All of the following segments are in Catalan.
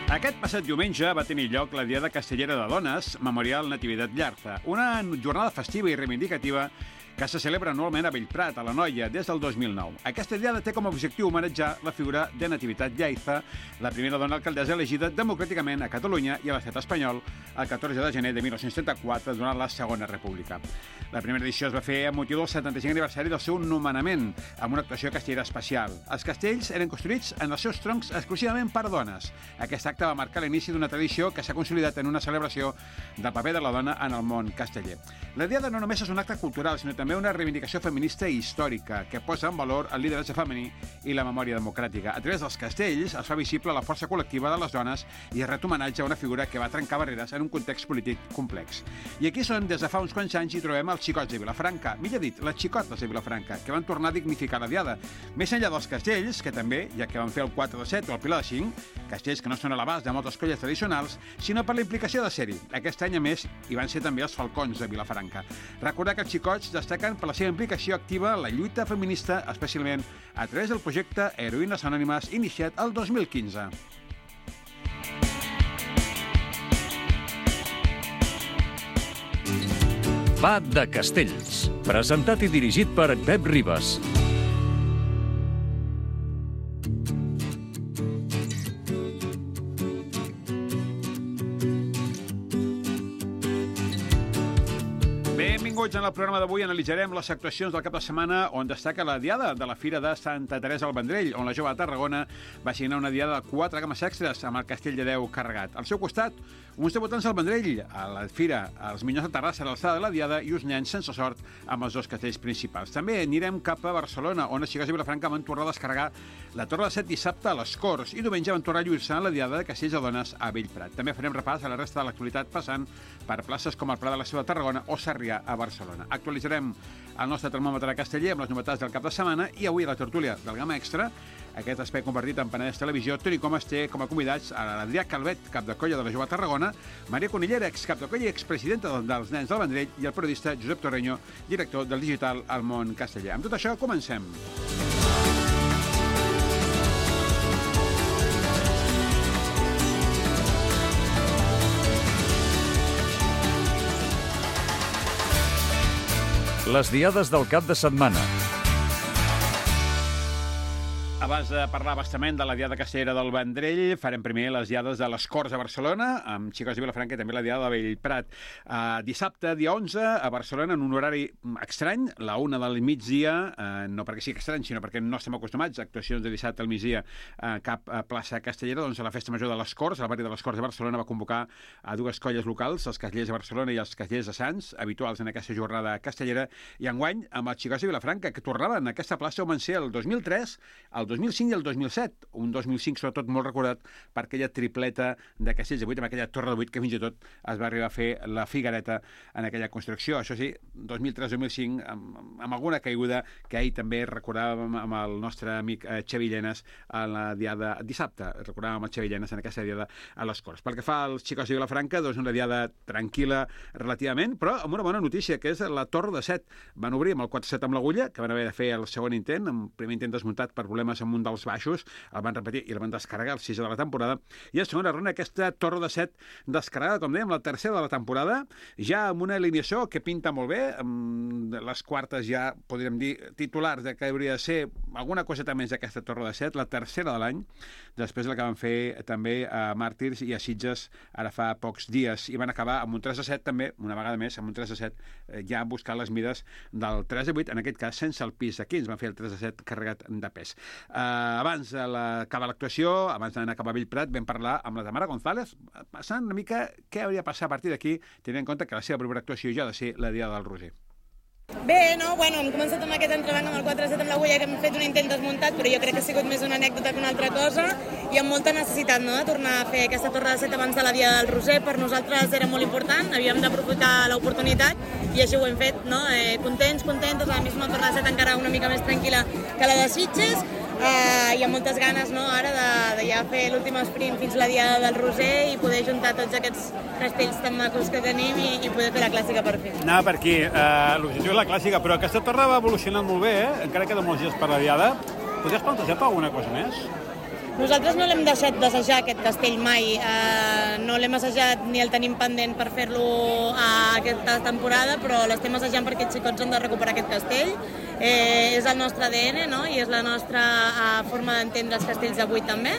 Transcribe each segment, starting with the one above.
Aquest passat diumenge va tenir lloc la Diada Castellera de Dones, Memorial Natividad Llarza, una jornada festiva i reivindicativa que se celebra anualment a Bellprat, a l'Anoia, des del 2009. Aquesta diada té com a objectiu homenatjar la figura de Natividad Llarza, la primera dona alcaldessa elegida democràticament a Catalunya i a l'estat espanyol el 14 de gener de 1934, durant la Segona República. La primera edició es va fer amb motiu del 75 aniversari del seu nomenament, amb una actuació castellera especial. Els castells eren construïts en els seus troncs exclusivament per dones. Aquest acte va marcar l'inici d'una tradició que s'ha consolidat en una celebració del paper de la dona en el món casteller. La diada no només és un acte cultural, sinó també una reivindicació feminista i històrica que posa en valor el lideratge femení i la memòria democràtica. A través dels castells es fa visible la força col·lectiva de les dones i es ret homenatge a una figura que va trencar barreres en un context polític complex. I aquí són, des de fa uns quants anys, hi trobem els xicots de Vilafranca, millor dit, les xicotes de Vilafranca, que van tornar a dignificar la diada. Més enllà dels castells, que també, ja que van fer el 4 de 7 o el Pilar de 5, castells que no són a l'abast de moltes colles tradicionals, sinó per la implicació de ser-hi. Aquest any, a més, hi van ser també els falcons de Vilafranca. Recordar que els xicots destaquen per la seva implicació activa en la lluita feminista, especialment a través del projecte Heroïnes Anònimes, iniciat el 2015. Va de Castells, presentat i dirigit per Pep Ribas. Benvinguts. En el programa d'avui analitzarem les actuacions del cap de setmana on destaca la diada de la Fira de Santa Teresa al Vendrell, on la jove de Tarragona va signar una diada de 4 cames extres amb el Castell de Déu carregat. Al seu costat, uns debutants al Vendrell, a la Fira, els Minyons de Terrassa a l'alçada de la diada i uns nens sense sort amb els dos castells principals. També anirem cap a Barcelona, on els xicots de Vilafranca van tornar a descarregar la Torre de Set dissabte a les Corts i diumenge van tornar a lluir-se en la diada de castells de dones a Bellprat. També farem repàs a la resta de l'actualitat passant per places com el Pla de la Ciutat de Tarragona o Sarrià a Barcelona. Actualitzarem el nostre termòmetre casteller amb les novetats del cap de setmana i avui a la tertúlia del Gamma Extra, aquest espai convertit en Penedès Televisió, Toni Comas té com a convidats a l'Adrià Calvet, cap de colla de la Jove Tarragona, Maria Conillera, excap de colla i expresidenta dels Nens del Vendrell, i el periodista Josep Torreño, director del digital al Món Casteller. Amb tot això, comencem. Les diades del cap de setmana. Abans de parlar bastament de la diada castellera del Vendrell, farem primer les diades de les Corts a Barcelona, amb xicots de Vilafranca i també la diada de Bellprat. Dissabte, dia 11, a Barcelona, en un horari estrany, la 1 del migdia, no perquè sigui estrany, sinó perquè no estem acostumats a actuacions de dissabte al migdia a cap plaça castellera, doncs la Festa Major de les Corts, el barri de les Corts de Barcelona, va convocar a dues colles locals, els castellers de Barcelona i els castellers de Sants, habituals en aquesta jornada castellera, i enguany amb els xicots de Vilafranca, que tornaven a aquesta plaça on van ser el 2003, el 2005 i el 2007, un 2005 sobretot molt recordat per aquella tripleta de castells de 8, amb aquella torre de 8 que fins i tot es va arribar a fer la Figuereta en aquella construcció. Això sí, 2003-2005, amb alguna caiguda que ahir també recordàvem amb el nostre amic Xavi Llenes a la diada dissabte. Recordàvem el Xavi Llenes en aquesta diada a les Corts. Pel que fa als xicots de Vilafranca, doncs una diada tranquil·la relativament, però amb una bona notícia, que és la Torre de Set. Van obrir amb el 4-7 amb l'agulla, que van haver de fer el segon intent, un primer intent desmuntat per problemes amb un dels baixos, el van repetir i el van descarregar el 6 de la temporada, i a segona ronda aquesta Torre de Set descarregada, com dèiem, la tercera de la temporada, ja amb una alineació que pinta molt bé, amb les quartes ja, podríem dir, titulars de que hauria de ser alguna coseta més d'aquesta Torre de Set, la tercera de l'any, després de la que van fer també a Màrtirs i a Sitges ara fa pocs dies, i van acabar amb un 3-7 també, una vegada més, amb un 3-7 ja buscant les mides del 3-8, en aquest cas sense el pis de 15, van fer el 3-7 carregat de pes. Abans d'acabar l'actuació, abans d'anar cap a Bellprat, vam parlar amb la Tamara González, passant una mica què hauria de passar a partir d'aquí, tenint en compte que la seva primera actuació ja ha de ser la Diada del Roser. Bé, no, bueno, hem començat amb aquest entrebanc amb el 4-7 amb l'agulla, que hem fet un intent desmuntat, però jo crec que ha sigut més una anècdota que una altra cosa, i amb molta necessitat, no?, de tornar a fer aquesta Torre de Set abans de la Diada del Roser. Per nosaltres era molt important, havíem d'aprofitar l'oportunitat, i així ho hem fet, no?, contents, la misma Torre de Set encara una mica més tranquil·la que la de Sitges, i amb moltes ganes, no, ara de ja fer l'últim sprint fins a la Diada del Roser i poder juntar tots aquests castells tan macos que tenim i poder fer la clàssica per fi. Anava per aquí, l'objectiu és la clàssica, però aquesta torre va evolucionant molt bé, encara queden molts dies per la Diada. Podries plantejar-te alguna cosa més? Nosaltres no l'hem deixat d'assajar, aquest castell, mai. No l'hem assajat ni el tenim pendent per fer-lo aquesta temporada, però l'estem assajant perquè els xicots han de recuperar aquest castell. És el nostre ADN, no? I és la nostra forma d'entendre els castells d'avui també.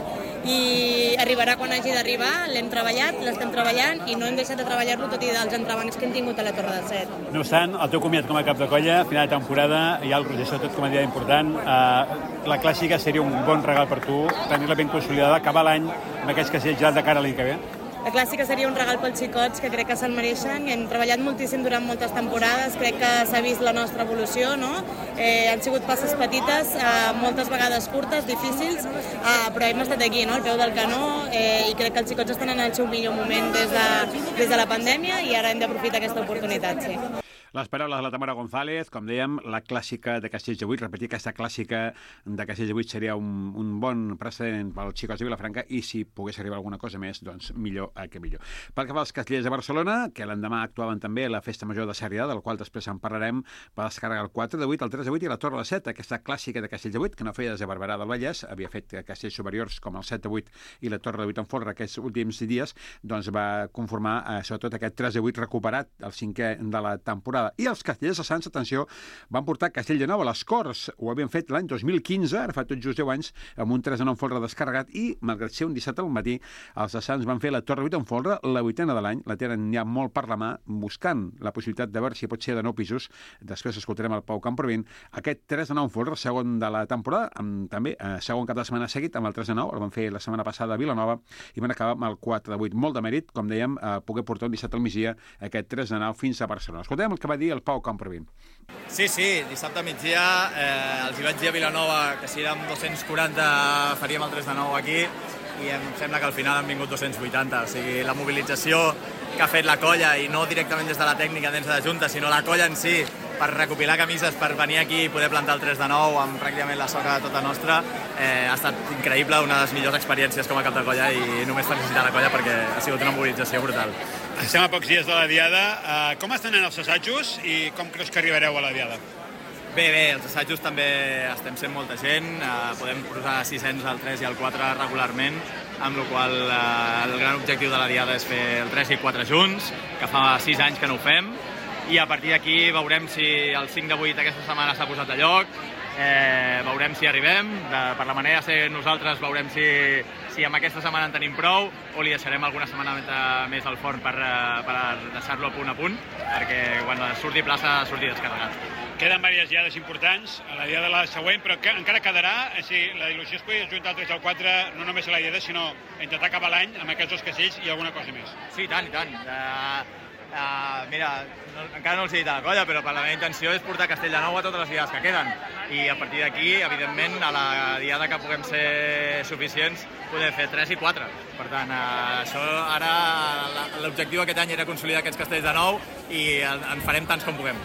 I arribarà quan hagi d'arribar, l'hem treballat, l'estem treballant i no hem deixat de treballar-lo tot i dels entrebancs que hem tingut a la Torre de Set. No obstant, el teu comiat com a cap de colla, final de temporada, hi ha el Roger sobretot com a dia important. La clàssica seria un bon regal per tu, tenir-la ben consolidada, acabar l'any amb aquests castells ja de cara a l'any que ve. La clàssica seria un regal pels xicots, que crec que se'l mereixen. Hem treballat moltíssim durant moltes temporades, crec que s'ha vist la nostra evolució, no? Han sigut passes petites, moltes vegades curtes, difícils, però hem estat aquí, no? Al peu del canó, i crec que els xicots estan en el seu millor moment des de la pandèmia i ara hem d'aprofitar aquesta oportunitat, sí. Les paraules de la Tamara González, com dèiem, la clàssica de Castells de 8, repetir aquesta clàssica de Castells de 8 seria un bon precedent pels xicots de Vilafranca i si pogués arribar alguna cosa més, doncs millor que millor. Pel que fa als castellers de Barcelona, que l'endemà actuaven també a la Festa Major de Sarrià, del qual després en parlarem, va descarregar el 4 de 8, el 3 de 8 i la Torre de 7, aquesta clàssica de Castells de 8, que no feia des de Barberà del Vallès, havia fet castells superiors com el 7 de 8 i la Torre de 8 en folre aquests últims dies, doncs va conformar sobretot aquest 3 de 8 recuperat, el 5è de la temporada. I els castellers de Sants, atenció, van portar Castell de Nou a les Corts. Ho havien fet l'any 2015, ara fa tot just 10 anys, amb un 3 de 9 en folre descarregat i, malgrat ser un dissabte al matí, els de Sants van fer la Torre 8 en folre, la 8a de l'any, la tenen ja molt per la mà, buscant la possibilitat de veure si pot ser de 9 pisos. Després escoltarem el Pau Camprevent. Aquest 3 de 9 en folre, segon de la temporada, també segon cap de setmana seguit, amb el 3 de 9, el van fer la setmana passada a Vilanova i van acabar amb el 4 de 8. Molt de mèrit, com dèiem, poder portar un dissabte al migdia aquest 3 de 9 fins a Barcelona. Escoltem el que va dir el Pau Camprevent. Sí, dissabte a migdia els hi vaig dir a Vilanova que si érem 240 faríem el 3 de 9 aquí i em sembla que al final han vingut 280, o sigui, la mobilització que ha fet la colla, i no directament des de la tècnica dins de la Junta, sinó la colla en si, per recopilar camises, per venir aquí i poder plantar el 3 de 9 amb pràcticament la soca tota nostra, ha estat increïble, una de les millors experiències com a cap de colla, i només felicitar la colla perquè ha sigut una mobilització brutal. Estem a pocs dies de la Diada. Com estan anant els assajos i com creus que arribareu a la Diada? Bé, els assajos també estem sent molta gent, podem posar 600 al 3 i al 4 regularment, amb la qual el gran objectiu de la Diada és fer el 3 i 4 junts, que fa 6 anys que no ho fem, i a partir d'aquí veurem si el 5 de 8 aquesta setmana s'ha posat a lloc, veurem si arribem, per la manera de ser nosaltres veurem si amb aquesta setmana en tenim prou o li deixarem alguna setmana més al forn per deixar-lo a punt, perquè quan surti plaça surti descarregat. Queden diverses diades importants, a la diada la següent, però encara quedarà, si la il·lusió es pugui juntar el 3 al 4, no només a la diada, sinó intentar acabar l'any amb aquests dos castells i alguna cosa més. Sí, i tant. Mira, encara no els he dit a la colla, però la meva intenció és portar Castell de Nou a totes les diades que queden. I a partir d'aquí, evidentment, a la diada que puguem ser suficients, podem fer 3 i 4. Per tant, això ara l'objectiu aquest any era consolidar aquests castells de nou i en farem tants com puguem.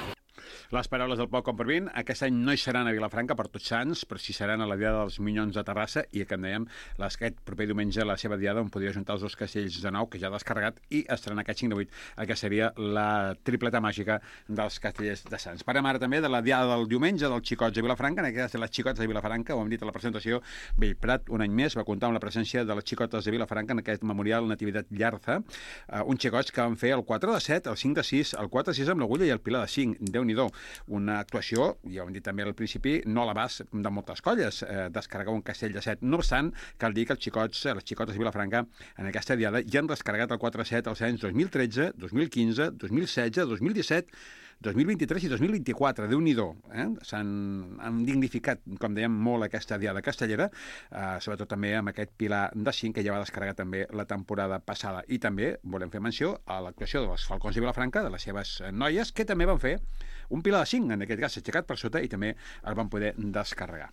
Les paraules del Pau Camprevent. Aquest any no hi seran a Vilafranca per Tots Sants, però sí seran a la Diada dels Minyons de Terrassa i, com dèiem, aquest proper diumenge la seva Diada on podria juntar els dos castells de nou que ja ha descarregat i estrenar aquest 5 de 8, que seria la tripleta màgica dels castellers de Sants. Parlem ara també de la Diada del diumenge dels xicots de Vilafranca, en aquest cas de les xicotes de Vilafranca, ho hem dit a la presentació. Bellprat, un any més, va comptar amb la presència de les xicotes de Vilafranca en aquest memorial Natividad Llarza, uns xicots que van fer el 4 de 7, el 5 de 6, el 4 de 6 amb l'agulla i el pilar de 5. Déu-n'hi-do. Una actuació, ja ho hem dit també al principi, no a l'abast de moltes colles, descarregar un castell de 7. No obstant, cal dir que els xicots, les xicotes de Vilafranca, en aquesta diada ja han descarregat el 4-7 als anys 2013, 2015, 2016, 2017, 2023 i 2024, Déu-n'hi-do. Han dignificat, com dèiem, molt aquesta diada castellera, sobretot també amb aquest pilar de 5 que ja va descarregar també la temporada passada. I també volem fer menció a l'actuació dels Falcons de Vilafranca, de les seves noies, que també van fer un pilar de 5, en aquest cas aixecat per sota, i també el van poder descarregar.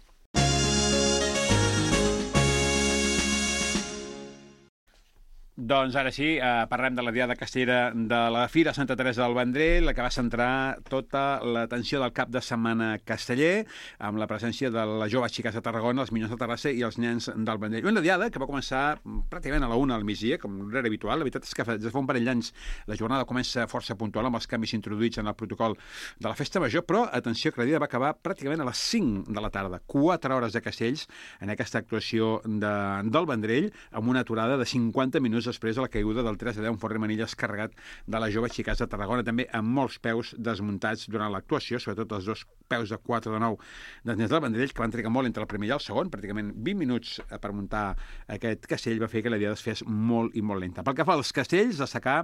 Doncs ara sí, parlem de la Diada Castellera de la Fira Santa Teresa del Vendrell, la que va centrar tota l'atenció del cap de setmana casteller, amb la presència de les joves xiques de Tarragona, els minyons de Terrassa i els nens del Vendrell. Una Diada que va començar pràcticament a la 1 al migdia, com era habitual. La veritat és que des de fa un parell d'anys la jornada comença força puntual amb els canvis introduïts en el protocol de la Festa Major, però, atenció, que la Diada va acabar pràcticament a les 5 de la tarda. 4 hores de castells en aquesta actuació del Vendrell, amb una aturada de 50 minuts després de la caiguda del 3-10, un Forre Manilles carregat de les joves xiques de Tarragona, també amb molts peus desmuntats durant l'actuació, sobretot els dos peus de 4 de 9 dels nens del Vendrell, que van trigar molt entre el primer i el segon, pràcticament 20 minuts per muntar aquest castell, va fer que la Diada es fes molt i molt lenta. Pel que fa als castells, destacar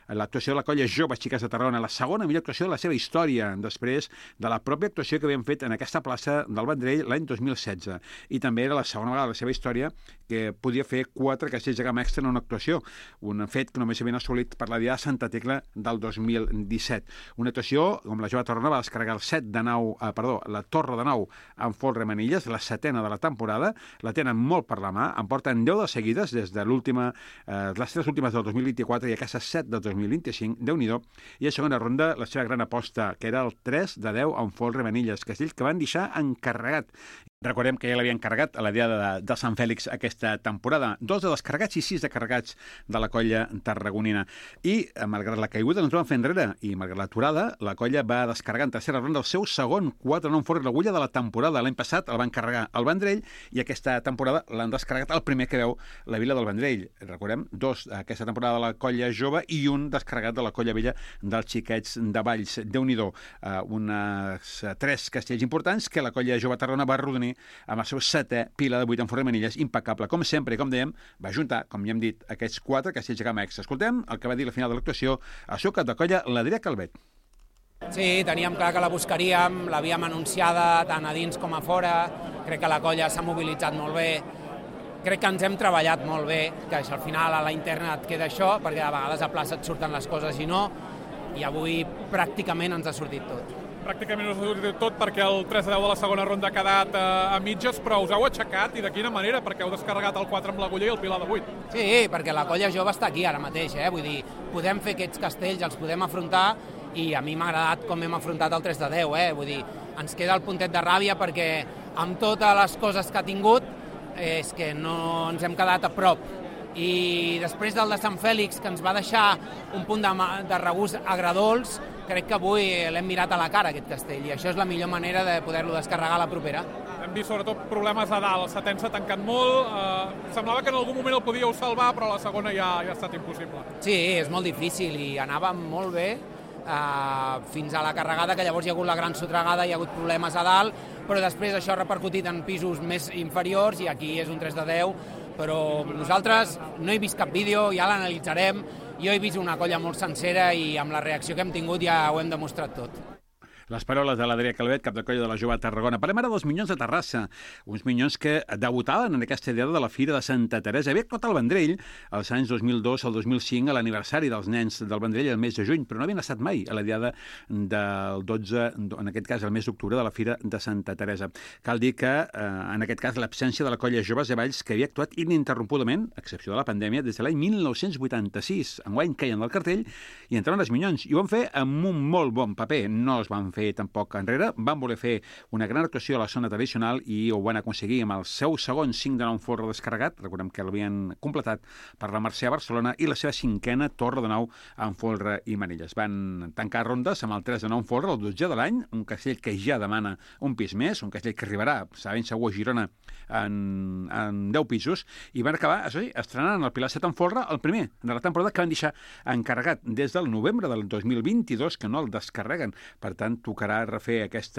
l'actuació de la colla Joves Xiques de Tarragona, la segona millor actuació de la seva història, després de la pròpia actuació que havien fet en aquesta plaça del Vendrell l'any 2016. I també era la segona vegada de la seva història que podia fer 4 castells de gamma extra en una actuació, un fet que només havien assolit per la Diada de Santa Tecla del 2017. Una actuació, com la jove Tarragona, va descarregar la Torre de Nau amb folre Manilles, la 7a de la temporada, la tenen molt per la mà, en porten 10 de seguides des de les 3 últimes del 2024 i aquestes 7 del 2025, Déu-n'hi-do, i a segona ronda la seva gran aposta, que era el 3-10 amb folre Manilles, castell que van deixar encarregat. Recordem que ja l'havien carregat a la Diada de Sant Fèlix aquesta temporada. 2 de descarregats i 6 de carregats de la colla tarragonina. I, malgrat la caiguda, no ens van fer enrere. I, malgrat l'aturada, la colla va descarregar en tercera ronda el seu segon 4-9 folre l'agulla de la temporada. L'any passat el van carregar al Vendrell i aquesta temporada l'han descarregat el primer que veu la Vila del Vendrell. Recordem, 2 aquesta temporada de la colla jove i un descarregat de la colla vella dels xiquets de Valls. Déu-n'hi-do, unes 3 castells importants que la colla jove Tarragona va arrodonir amb el seu 7è pila de 8 en Forre Manilles, impecable. Com sempre, i com dèiem, va juntar, com ja hem dit, aquests 4 castells de gamma extra. Escoltem el que va dir la final de l'actuació al seu cap de colla, l'Adrià Calvet. Sí, teníem clar que la buscaríem, l'havíem anunciada tant a dins com a fora, crec que la colla s'ha mobilitzat molt bé, crec que ens hem treballat molt bé, que al final a la interna et queda això, perquè a vegades a plaça et surten les coses i no, i avui pràcticament ens ha sortit tot. Pràcticament us ha sortit tot perquè el 3-10 de la segona ronda ha quedat a mitges, però us heu aixecat i de quina manera? Perquè heu descarregat el 4 amb l'agulla i el pilar de 8. Sí, perquè la colla jove està aquí ara mateix, vull dir, podem fer aquests castells, els podem afrontar i a mi m'ha agradat com hem afrontat el 3-10, vull dir, ens queda el puntet de ràbia perquè amb totes les coses que ha tingut és que no ens hem quedat a prop. I després del de Sant Fèlix, que ens va deixar un punt de regust agredolç, crec que avui l'hem mirat a la cara, aquest castell, i això és la millor manera de poder-lo descarregar a la propera. Hem vist sobretot problemes a dalt, el setè s'ha tancat molt, semblava que en algun moment el podíeu salvar, però la segona ja ha estat impossible. Sí, és molt difícil i anava molt bé fins a la carregada, que llavors hi ha hagut la gran sotragada, hi ha hagut problemes a dalt, però després això ha repercutit en pisos més inferiors i aquí és un 3-10, però nosaltres no he vist cap vídeo, ja l'analitzarem. Jo he vist una colla molt sencera i amb la reacció que hem tingut ja ho hem demostrat tot. Les paraules de l'Adrià Calvet, cap de colla de la jove Tarragona. Parlem ara dels Minyons de Terrassa, uns minyons que debutaven en aquesta Diada de la Fira de Santa Teresa. Havia actuat al Vendrell als anys 2002 al 2005, a l'aniversari dels nens del Vendrell el mes de juny, però no havien estat mai a la Diada del 12, en aquest cas el mes d'octubre, de la Fira de Santa Teresa. Cal dir que, en aquest cas, l'absència de la colla Joves de Valls, que havia actuat ininterrompudament, a excepció de la pandèmia, des de l'any 1986. Enguany caien del cartell i entraven els Minyons. I ho van fer amb un molt bon paper. No es van fer tampoc enrere, van voler fer una gran actuació a la zona tradicional i ho van aconseguir amb el seu segon 5 de 9 folre descarregat, recordem que l'havien completat per la Mercè a Barcelona, i la seva 5a Torre de Nau amb folre i manilles. Van tancar rondes amb el 3 de 9 folre, el 12 de l'any, un castell que ja demana un pis més, un castell que arribarà, sabent segur, a Girona en 10 pisos, i van acabar, això sí, estrenant el Pilar 7 en folre, el primer de la temporada, que van deixar encarregat des del novembre del 2022, que no el descarreguen. Per tant, tocarà refer aquest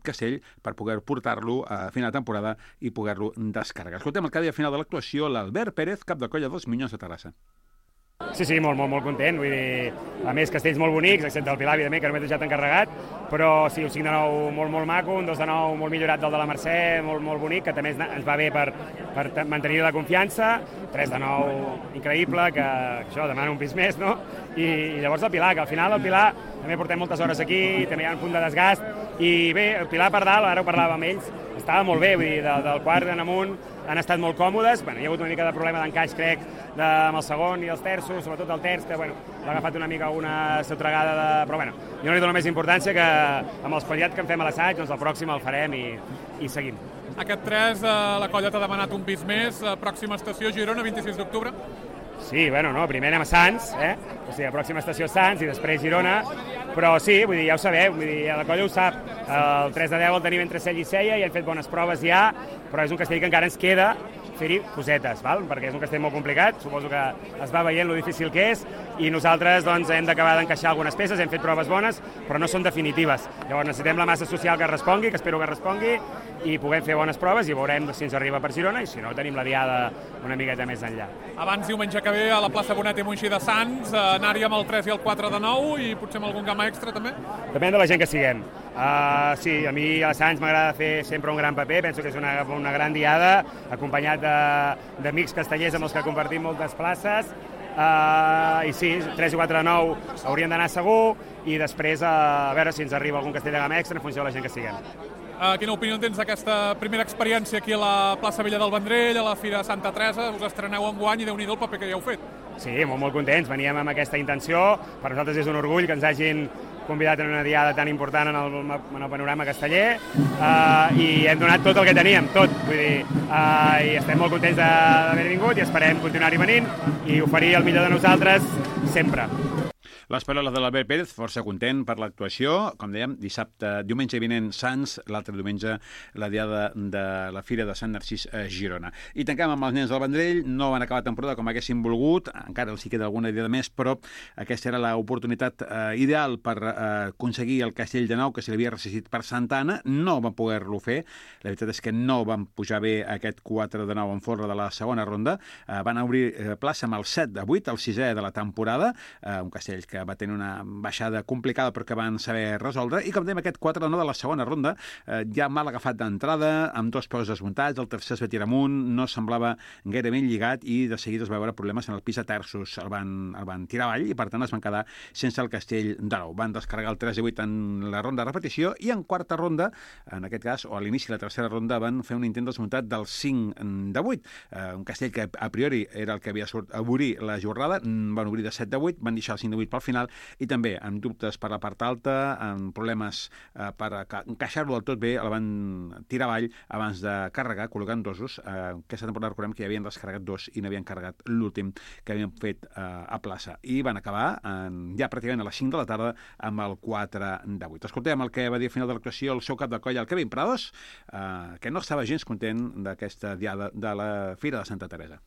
castell per poder portar-lo a final de temporada i poder-lo descarregar. Escoltem el que deia al final de l'actuació l'Albert Pérez, cap de colla dels Minyons de Terrassa. Sí, molt content, vull dir, a més castells molt bonics, excepte el Pilar, evidentment, que només he deixat encarregat, però sí, un 5 de 9 molt maco, un 2 de 9 molt millorat del de la Mercè, molt bonic, que també ens va bé per mantenir la confiança, 3 de 9 increïble, que això demana un pis més, no? I llavors el Pilar, que al final el Pilar també portem moltes hores aquí, també hi ha un punt de desgast, i bé, el Pilar per dalt, ara ho parlàvem amb ells, estava molt bé, vull dir, del quart en amunt, han estat molt còmodes. Hi ha hagut una mica de problema d'encaix, crec, amb el segon i els terços, sobretot el terç, que l'ha agafat una mica alguna sotregada, però jo no li dono més importància que amb els qualitats que en fem a l'assaig, doncs el pròxim el farem i seguim. Aquest 3, la colla t'ha demanat un pis més, pròxima estació Girona, 26 d'octubre. Sí, primer anem a Sants, o sigui, la pròxima estació Sants i després Girona, però sí, vull dir, ja ho sabeu, la colla ho sap, el 3 de 10 el tenim entre Cella i Sella i hem fet bones proves ja, però és un castell que encara ens queda fer-hi cosetes, perquè és un castell molt complicat, suposo que es va veient lo difícil que és, i nosaltres hem d'acabar d'encaixar algunes peces, hem fet proves bones, però no són definitives. Llavors necessitem la massa social que respongui, que espero que respongui, i puguem fer bones proves i veurem si ens arriba per Girona, i si no tenim la diada una miqueta més enllà. Abans, diumenge que ve, a la plaça Bonet i Moixí de Sants, anar-hi amb el 3 i el 4 de 9 i potser amb algun gamma extra també? Depèn de la gent que siguem. Sí, a mi a Sants m'agrada fer sempre un gran paper, penso que és una gran diada, acompanyat d'amics castellers amb els que compartim moltes places, i sí, 3 i 4 de 9 haurien d'anar segur, i després a veure si ens arriba algun castell de gamma extra en funció de la gent que siguem. Quina opinió tens d'aquesta primera experiència aquí a la plaça Vella del Vendrell, a la Fira Santa Teresa? Us estreneu enguany i Déu-n'hi-do el paper que ja heu fet. Sí, molt contents, veníem amb aquesta intenció, per nosaltres és un orgull que ens hagin convidat en una diada tan important en el panorama casteller, i hem donat tot el que teníem, tot, vull dir, i estem molt contents d'haver vingut i esperem continuar-hi venint i oferir el millor de nosaltres sempre. Les paraules de l'Albert Pérez, força content per l'actuació. Com dèiem, diumenge vinent Sants, l'altre diumenge la diada de la Fira de Sant Narcís a Girona. I tanquem amb els nens del Vendrell, no van acabar temporada com haguessin volgut, encara els hi queda alguna diada més, però aquesta era l'oportunitat ideal per aconseguir el castell de nou que se li havia resistit per Santana, no van poder-lo fer, la veritat és que no van pujar bé aquest 4 de 9 en folre de la segona ronda, van obrir plaça amb el 7 de 8, el 6è de la temporada, un castell que va tenir una baixada complicada però que van saber resoldre, i com dèiem, aquest 4 de 9 de la segona ronda ja mal agafat d'entrada, amb 2 peus desmuntats, el tercer es va tirar amunt, no semblava gaire ben lligat i de seguida es va veure problemes en el pis de terços, el van tirar avall i per tant es van quedar sense el castell de nou. Van descarregar el 3 i 8 en la ronda de repetició i en quarta ronda, en aquest cas, o a l'inici de la tercera ronda, van fer un intent desmuntat del 5 de 8, un castell que a priori era el que havia a obrir la jornada, van obrir de 7 de 8, van deixar el 5 de 8 pel final i també amb dubtes per la part alta, amb problemes per encaixar-lo del tot bé, el van tirar avall abans de carregar, col·locant dosos. Aquesta temporada recordem que ja havien descarregat 2 i n'havien carregat l'últim que havien fet a plaça. I van acabar ja pràcticament a les 5 de la tarda amb el 4 de 8. Escoltem el que va dir al final de l'actuació el seu cap de colla, el Kevin Prados, que no estava gens content d'aquesta diada de la Fira de Santa Teresa.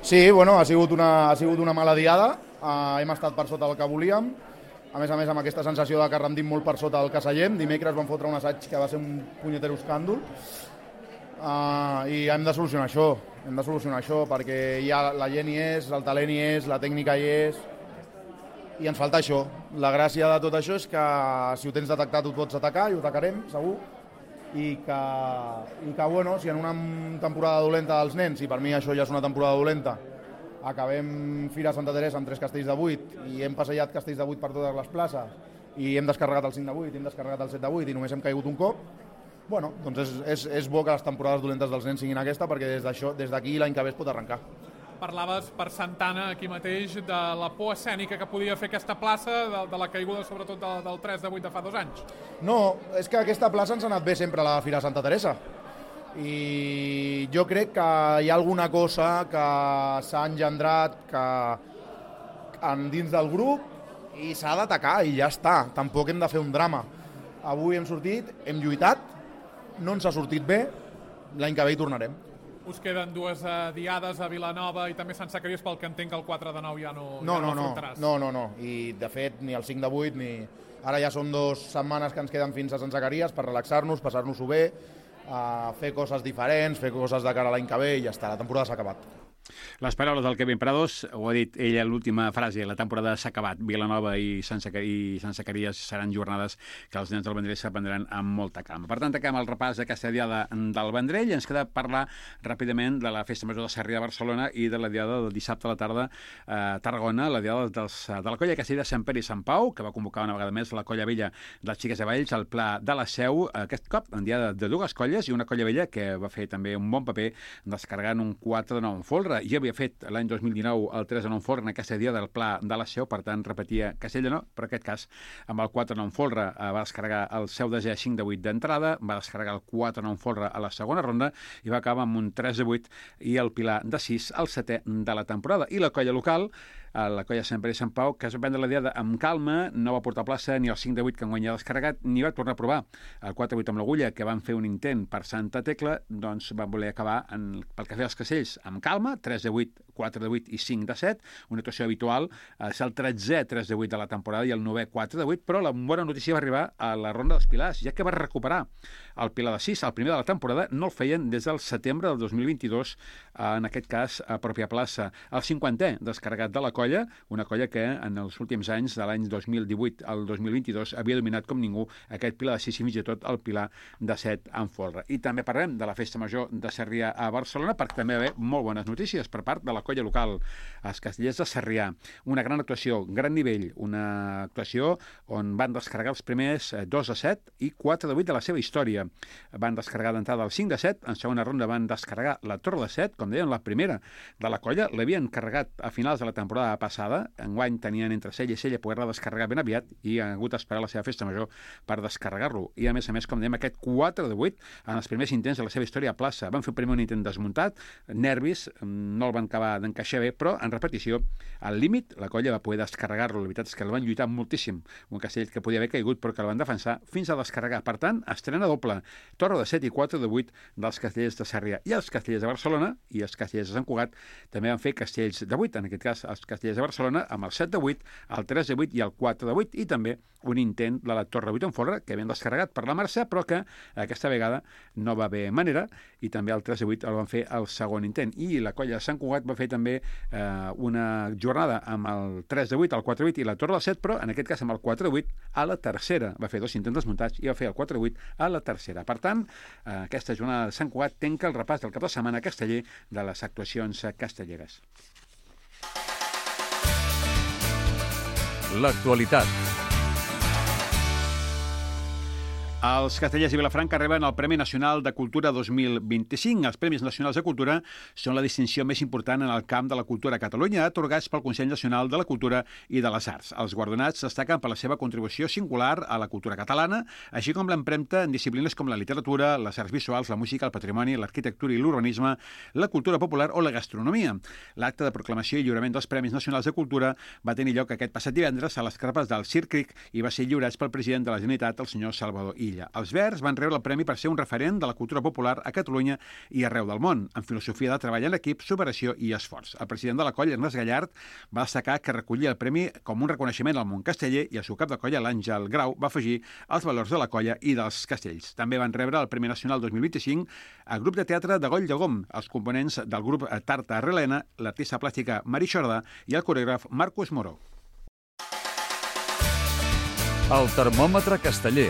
Sí, bueno, ha sigut una mala diada, hem estat per sota del que volíem, a més amb aquesta sensació de que rendim molt per sota del que seiem. Dimecres vam fotre un assaig que va ser un punyetero escàndol, i hem de solucionar això, perquè ja la gent hi és, el talent hi és, la tècnica hi és, i ens falta això. La gràcia de tot això és que si ho tens detectat ho pots atacar, i ho atacarem, segur, i que bueno, si en una temporada dolenta dels nens, i per mi això ja és una temporada dolenta, acabem Fira Santa Teresa amb 3 castells de 8 i hem passejat castells de 8 per totes les places i hem descarregat el 5 de 8, hem descarregat el 7 de 8 i només hem caigut un cop, bueno, doncs és bo que les temporades dolentes dels nens siguin aquesta, perquè des d'aquí l'any que ve es pot arrencar. Parlaves per Santana aquí mateix de la por escènica que podia fer aquesta plaça, de la caiguda sobretot del 3 de 8 de fa 2 anys. No, és que aquesta plaça ens ha anat bé sempre a la Fira Santa Teresa. I jo crec que hi ha alguna cosa que s'ha engendrat dins del grup i s'ha d'atacar i ja està. Tampoc hem de fer un drama. Avui hem sortit, hem lluitat, no ens ha sortit bé, l'any que ve hi tornarem. Us queden 2 diades a Vilanova i també Sant Zacaries, pel que entenc que el 4 de 9 ja no afrontaràs. No. I de fet ni el 5 de 8 ni... Ara ja són 2 setmanes que ens queden fins a Sant Zacaries per relaxar-nos, passar-nos-ho bé, fer coses diferents, fer coses de cara a l'any que ve i ja està, la temporada s'ha acabat. Les paraules del Kevin Prados, ho ha dit ella en l'última frase, la temporada s'ha acabat. Vilanova i Sant Zacaries seran jornades que els nens del Vendrell s'aprendran amb molta calma. Per tant, acabem el repàs d'aquesta diada del Vendrell. Ens queda parlar ràpidament de la Festa Major de Sarrià de Barcelona i de la diada del dissabte a la tarda a Tarragona, la diada de la colla Castella de Sant Pere i Sant Pau, que va convocar una vegada més la colla vella dels Xiques de Valls al Pla de la Seu, aquest cop en diada de dues colles i una colla vella que va fer també un bon paper descarregant un 4 de 9 en folre. Ja havia fet l'any 2019 el 3 de 9 folre en aquesta dia del Pla de la Seu, per tant repetia Castella no, però en aquest cas amb el 4 de 9 folre va descarregar el seu desè 5 de 8 d'entrada, va descarregar el 4 de 9 folre a la segona ronda i va acabar amb un 3 de 8 i el Pilar de 6 al setè de la temporada. I la colla local, la colla Sant Pere i Sant Pau, que es va prendre la diada amb calma, no va portar plaça ni el 5 de 8 que enguany ha descarregat, ni va tornar a provar el 4 de 8 amb l'agulla, que van fer un intent per Santa Tecla, doncs van voler acabar pel que feia els casells amb calma, 3 de 8, 4 de 8 i 5 de 7, una actuació habitual, és el 13è 3 de 8 de la temporada i el 9è 4 de 8, però la bona notícia va arribar a la ronda dels Pilars, ja que va recuperar el Pilar de 6, el primer de la temporada, no el feien des del setembre del 2022, en aquest cas a pròpia plaça. El 50è descarregat de la colla, una colla que en els últims anys, de l'any 2018 al 2022, havia dominat com ningú aquest Pilar de 6 i fins i tot el Pilar de 7 en folre. I també parlem de la Festa Major de Sarrià a Barcelona, perquè també va haver molt bones notícies per part de la colla local, els Castellers de Sarrià. Una gran actuació, gran nivell, una actuació on van descarregar els primers 2 de 7 i 4 de 8 de la seva història. Van descarregar d'entrada el 5 de 7, en segona ronda van descarregar la Torre de 7, com deien, la primera de la colla, l'havien carregat a finals de la temporada passada, enguany tenien entre Sella i Sella poder-la descarregar ben aviat i han hagut d'esperar la seva festa major per descarregar-lo. I a més, com dèiem, aquest 4 de 8 en els primers intents de la seva història a plaça. Van fer primer un intent desmuntat, nervis, no el van acabar d'encaixar bé, però en repetició, al límit, la colla va poder descarregar-lo. La veritat és que el van lluitar moltíssim. Un castell que podia haver caigut, però que el van defensar fins a descarregar. Per tant, estrena doble. Torre de 7 i 4 de 8 dels Castellers de Sarrià. I els Castellers de Barcelona i els Castellers de Sant Cugat també van fer castells de 8, en aquest cas els Castellers de Barcelona, amb el 7 de 8, el 3 de 8 i el 4 de 8, i també un intent de la Torre de 8 en folre, que havien descarregat per la Mercè, però que aquesta vegada no va haver manera, i també el 3 de 8 el van fer el segon intent. I la colla de Sant Cugat va fer també una jornada amb el 3 de 8, el 4 de 8 i la Torre de 7, però en aquest cas amb el 4 de 8 a la tercera. Va fer 2 intents desmuntats i va fer el 4 de 8 a la tercera. Per tant, aquesta jornada de Sant Cugat tanca el repàs del cap de setmana casteller de les actuacions castelleres. L'actualitat. Els Castellers i Vilafranca reben el Premi Nacional de Cultura 2025. Els Premis Nacionals de Cultura són la distinció més important en el camp de la cultura a Catalunya, atorgats pel Consell Nacional de la Cultura i de les Arts. Els guardonats destaquen per la seva contribució singular a la cultura catalana, així com l'empremta en disciplines com la literatura, les arts visuals, la música, el patrimoni, l'arquitectura i l'urbanisme, la cultura popular o la gastronomia. L'acte de proclamació i lliurament dels Premis Nacionals de Cultura va tenir lloc aquest passat divendres a les carpes del Circ i va ser lliurats pel president de la Generalitat, el senyor Salvador Illa. Els Verds van rebre el premi per ser un referent de la cultura popular a Catalunya i arreu del món, en filosofia de treball en equip, superació i esforç. El president de la colla, Ernest Gallard, va destacar que recollia el premi com un reconeixement al món casteller i el seu cap de colla, l'Àngel Grau, va afegir els valors de la colla i dels castells. També van rebre el Premi Nacional 2025 el grup de teatre de Goll de Gom, els components del grup Tarta Arrelena, l'artista plàstica Mari Xorda i el coreògraf Marcos Moró. El termòmetre casteller.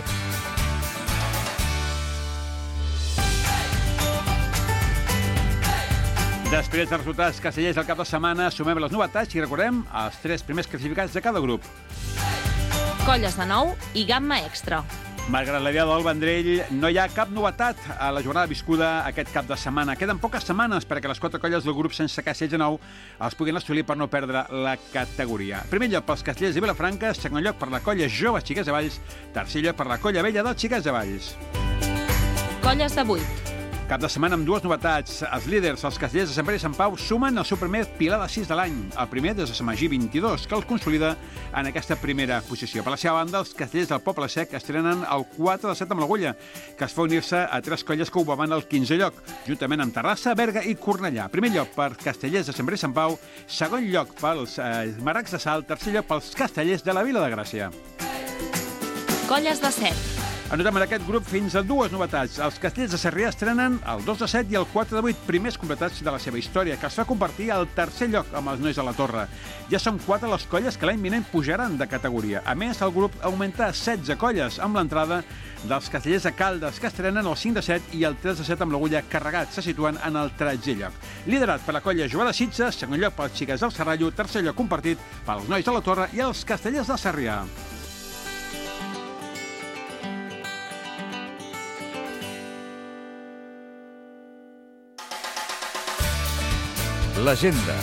Després dels resultats castellers del cap de setmana, sumem les novetats i recordem els 3 primers classificats de cada grup. Colles de 9 i gamma extra. Malgrat la diada del Vendrell, no hi ha cap novetat a la jornada viscuda aquest cap de setmana. Queden poques setmanes perquè les 4 colles del grup sense castells de 9 els puguin assolir per no perdre la categoria. Primer lloc pels Castellers de Vilafranca, segon lloc per la colla jove Xiques de Valls, tercer lloc per la colla vella dels Xiques de Valls. Colles de 8. Cap de setmana amb 2 novetats. Els líders, els Castellers de Sant Pere i Sant Pau, sumen el seu primer Pilar de 6 de l'any, el primer des de Sant Magí 22, que els consolida en aquesta primera posició. Per la seva banda, els Castellers del Poble Sec estrenen el 4 de 7 amb l'Agulla, que es fa unir-se a 3 colles que ocupaven el 15è lloc, juntament amb Terrassa, Berga i Cornellà. Primer lloc per Castellers de Sant Pere i Sant Pau, segon lloc pels Maracs de Salt, tercer lloc pels Castellers de la Vila de Gràcia. Colles de 7. Anotem en aquest grup fins a dues novetats. Els Castellers de Sarrià estrenen el 2 de 7 i el 4 de 8 primers completats de la seva història, que es fa convertir al tercer lloc amb els nois a la Torre. Ja són 4 les colles que l'any vinent pujaran de categoria. A més, el grup augmenta a 16 colles, amb l'entrada dels Castellers de Caldes, que estrenen el 5 de 7 i el 3 de 7 amb l'Agulla Carregat. Se situen en el 13è lloc. Liderat per la colla Joan de Sitges, segon lloc pels Xiques del Serrallo, tercer lloc compartit pels nois de la Torre i els Castellers de Sarrià. L'agenda.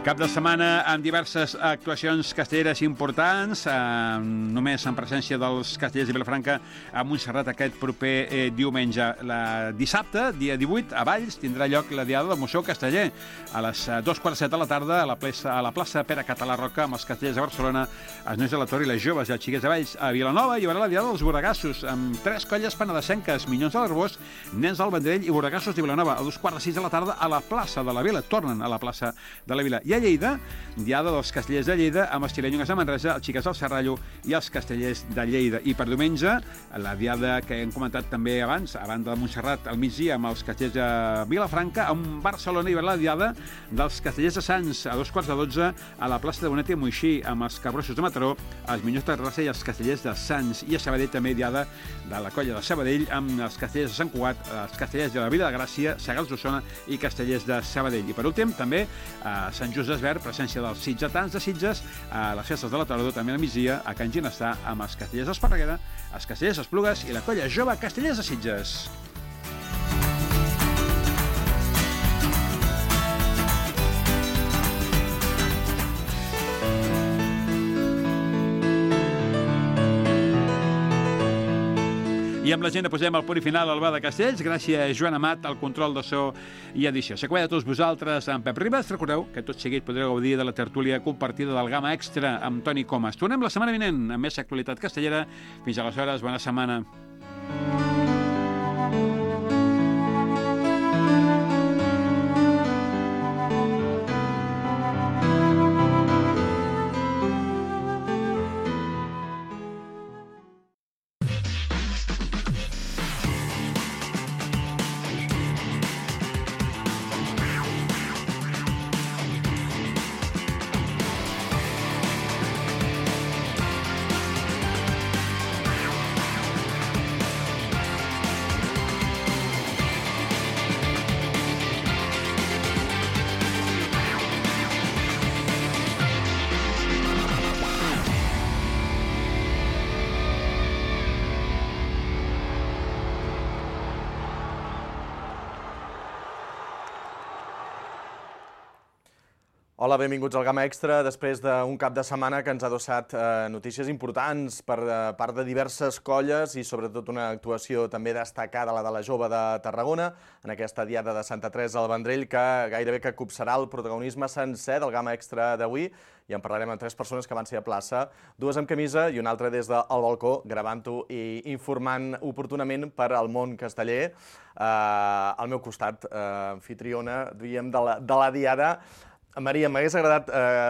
Cap de setmana amb diverses actuacions castelleres importants, només en presència dels Castellers de Vilafranca a Montserrat aquest proper diumenge. Dissabte, dia 18, a Valls, tindrà lloc la Diada del Museu Casteller. A les 2:15 de la tarda, a la plaça Pere Català Roca, amb els Castellers de Barcelona, els nois de la Torre i les joves i els xiquets de Valls. A Vilanova hi haurà la Diada dels Borregassos, amb 3 colles penedesenques, Minyons de l'Arbós, Nens del Vendrell i Borregassos de Vilanova. A 2:45 de la tarda, a la plaça de la Vila. Tornen a la plaça de la Vila. I a Lleida, Diada dels Castellers de Lleida, amb els xilenyes de Manresa, els Xiques del Serrallo i els Castellers de Lleida. I per diumenge, la Diada que hem comentat també abans, a banda de Montserrat, al migdia, amb els Castellers de Vilafranca. A Barcelona hi haurà la Diada dels Castellers de Sants, a 2:15 a la plaça de Bonet i Moixí, amb els Cabrossos de Mataró, els Minyons de Terrassa i els Castellers de Sants. I a Sabadell també Diada de la colla de Sabadell, amb els Castellers de Sant Cugat, els Castellers de la Vila de Gràcia, Segals d'Osona i Castellers de Sabadell. I per últim, també a Sant Just Desvern, presència dels sitgetans de Sitges, a les festes de la Tardor, també al migdia, a Can Ginestar, amb els Castellers d'Esparreguera, els Castellers d'Esplugues i la colla jove Castellers de Sitges. I amb l'agenda posem el punt i final al Bar de Castells. Gràcies a Joan Amat, al control de so i edició. S'acompanya a tots vosaltres amb Pep Ribas. Recordeu que tot seguit podreu gaudir de la tertúlia compartida del Gamma Extra amb Toni Comas. Tornem la setmana vinent amb més actualitat castellera. Fins aleshores, bona setmana. Hola, benvinguts al Gamma Extra, després d'un cap de setmana que ens ha adossat notícies importants per part de diverses colles i sobretot una actuació també destacada, la de la jove de Tarragona, en aquesta Diada de Santa Teresa al Vendrell, que gairebé que copsarà el protagonisme sencer del Gamma Extra d'avui, i en parlarem amb 3 persones que van ser a plaça, 2 amb camisa i una altra des del balcó, gravant-ho i informant oportunament per al món casteller. Al meu costat, anfitriona, diríem, de la Diada. Maria, m'hagués agradat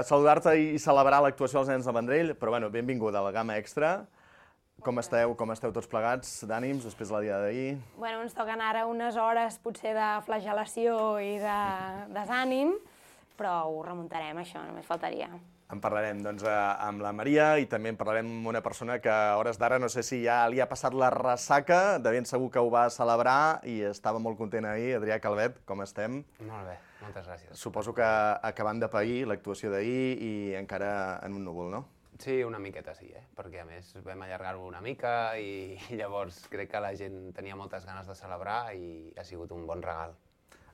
saludar-te i celebrar l'actuació dels nens de Vendrell, però bueno, benvinguda a la Gamma Extra. Com esteu tots plegats d'ànims després de la Diada d'ahir? Bueno, ens toquen ara unes hores potser de flagel·lació i de desànim, però ho remuntarem, això, només faltaria. En parlarem doncs, amb la Maria i també en parlarem amb una persona que a hores d'ara no sé si ja li ha passat la ressaca, de ben segur que ho va celebrar i estava molt content ahir. Adrià Calvet, com estem? Molt bé, moltes gràcies. Suposo que acabant de pair l'actuació d'ahir i encara en un núvol, no? Sí, una miqueta sí, perquè a més vam allargar-ho una mica i llavors crec que la gent tenia moltes ganes de celebrar i ha sigut un bon regal.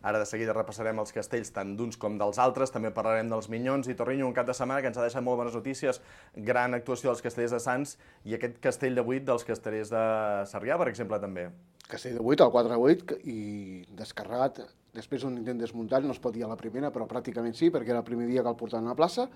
Ara de seguida repassarem els castells tant d'uns com dels altres, també parlarem dels Minyons i Torrinyo, un cap de setmana que ens ha deixat molt bones notícies, gran actuació dels castellers de Sants i aquest castell de 8 dels castellers de Sarrià, per exemple, també. Castell de 8, el 4-8, i descarregat, després d'un intent desmuntat, no es pot dir a la primera, però pràcticament sí, perquè era el primer dia que el portaven a la plaça,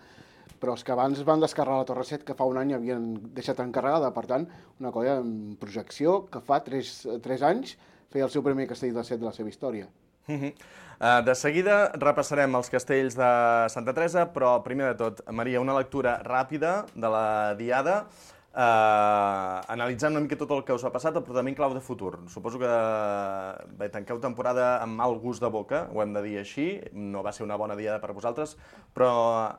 però els que abans van descarregar la Torre 7, que fa un any havien deixat encarregada, per tant, una colla en projecció que fa 3 anys feia el seu primer castell de 7 de la seva història. De seguida repassarem els castells de Santa Teresa, però primer de tot, Maria, una lectura ràpida de la diada, analitzant una mica tot el que us ha passat, però també en clau de futur. Suposo que tanqueu temporada amb mal gust de boca, ho hem de dir així, no va ser una bona diada per vosaltres, però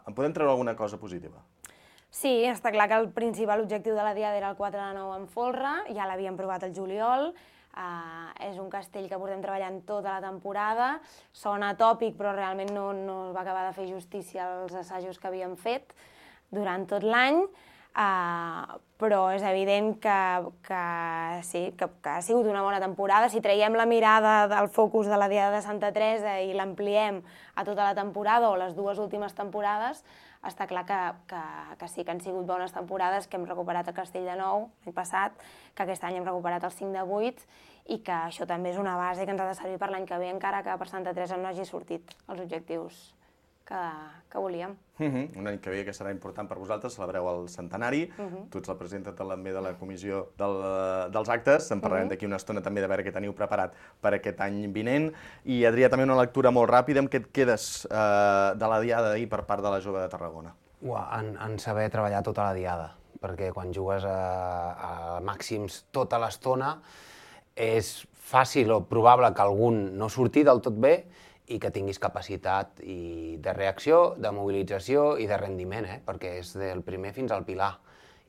en podem treure alguna cosa positiva? Sí, està clar que el principal objectiu de la diada era el 4 de 9 en folre, ja l'havíem provat al juliol, és un castell que portem treballant tota la temporada, sona tòpic però realment no va acabar de fer justícia als assajos que havíem fet durant tot l'any, però és evident que sí, que ha sigut una bona temporada. Si traiem la mirada del focus de la diada de Santa Teresa i l'ampliem a tota la temporada o les dues últimes temporades, està clar que sí que han sigut bones temporades, que hem recuperat el Castell de Nou l'any passat, que aquest any hem recuperat el 5 de 8 i que això també és una base que ens ha de servir per l'any que ve, encara que per Santa Teresa no hagi sortit els objectius que volíem. Un any que ve que serà important per vosaltres, celebreu el centenari, tu ets la presidenta també de la comissió dels actes, en parlarem d'aquí una estona també de veure què teniu preparat per aquest any vinent. I Adrià, també una lectura molt ràpida, amb què et quedes de la diada d'ahir per part de la Jove de Tarragona? En saber treballar tota la diada, perquè quan jugues a màxims tota l'estona és fàcil o probable que algun no surti del tot bé i que tinguis capacitat de reacció, de mobilització i de rendiment, perquè és del primer fins al pilar.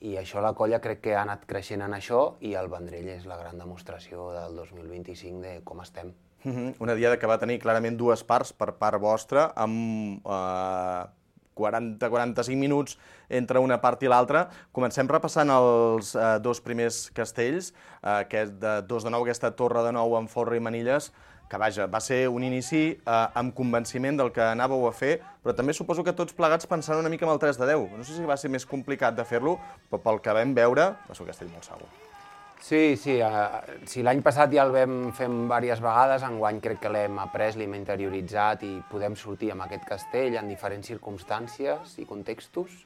I això la colla crec que ha anat creixent en això i el Vendrell és la gran demostració del 2025 de com estem. Una diada que va tenir clarament dues parts per part vostra, amb 40-45 minuts entre una part i l'altra. Comencem repassant els dos primers castells, aquest de 2 de 9, aquesta Torre de 9 amb Folre i Manilles, que vaja, va ser un inici amb convenciment del que anàveu a fer, però també suposo que tots plegats pensant una mica en el 3 de 10. No sé si va ser més complicat de fer-lo, però pel que vam veure va ser un castell molt segur. Sí, si l'any passat ja el vam fer diverses vegades, enguany crec que l'hem après, l'hem interioritzat i podem sortir amb aquest castell en diferents circumstàncies i contextos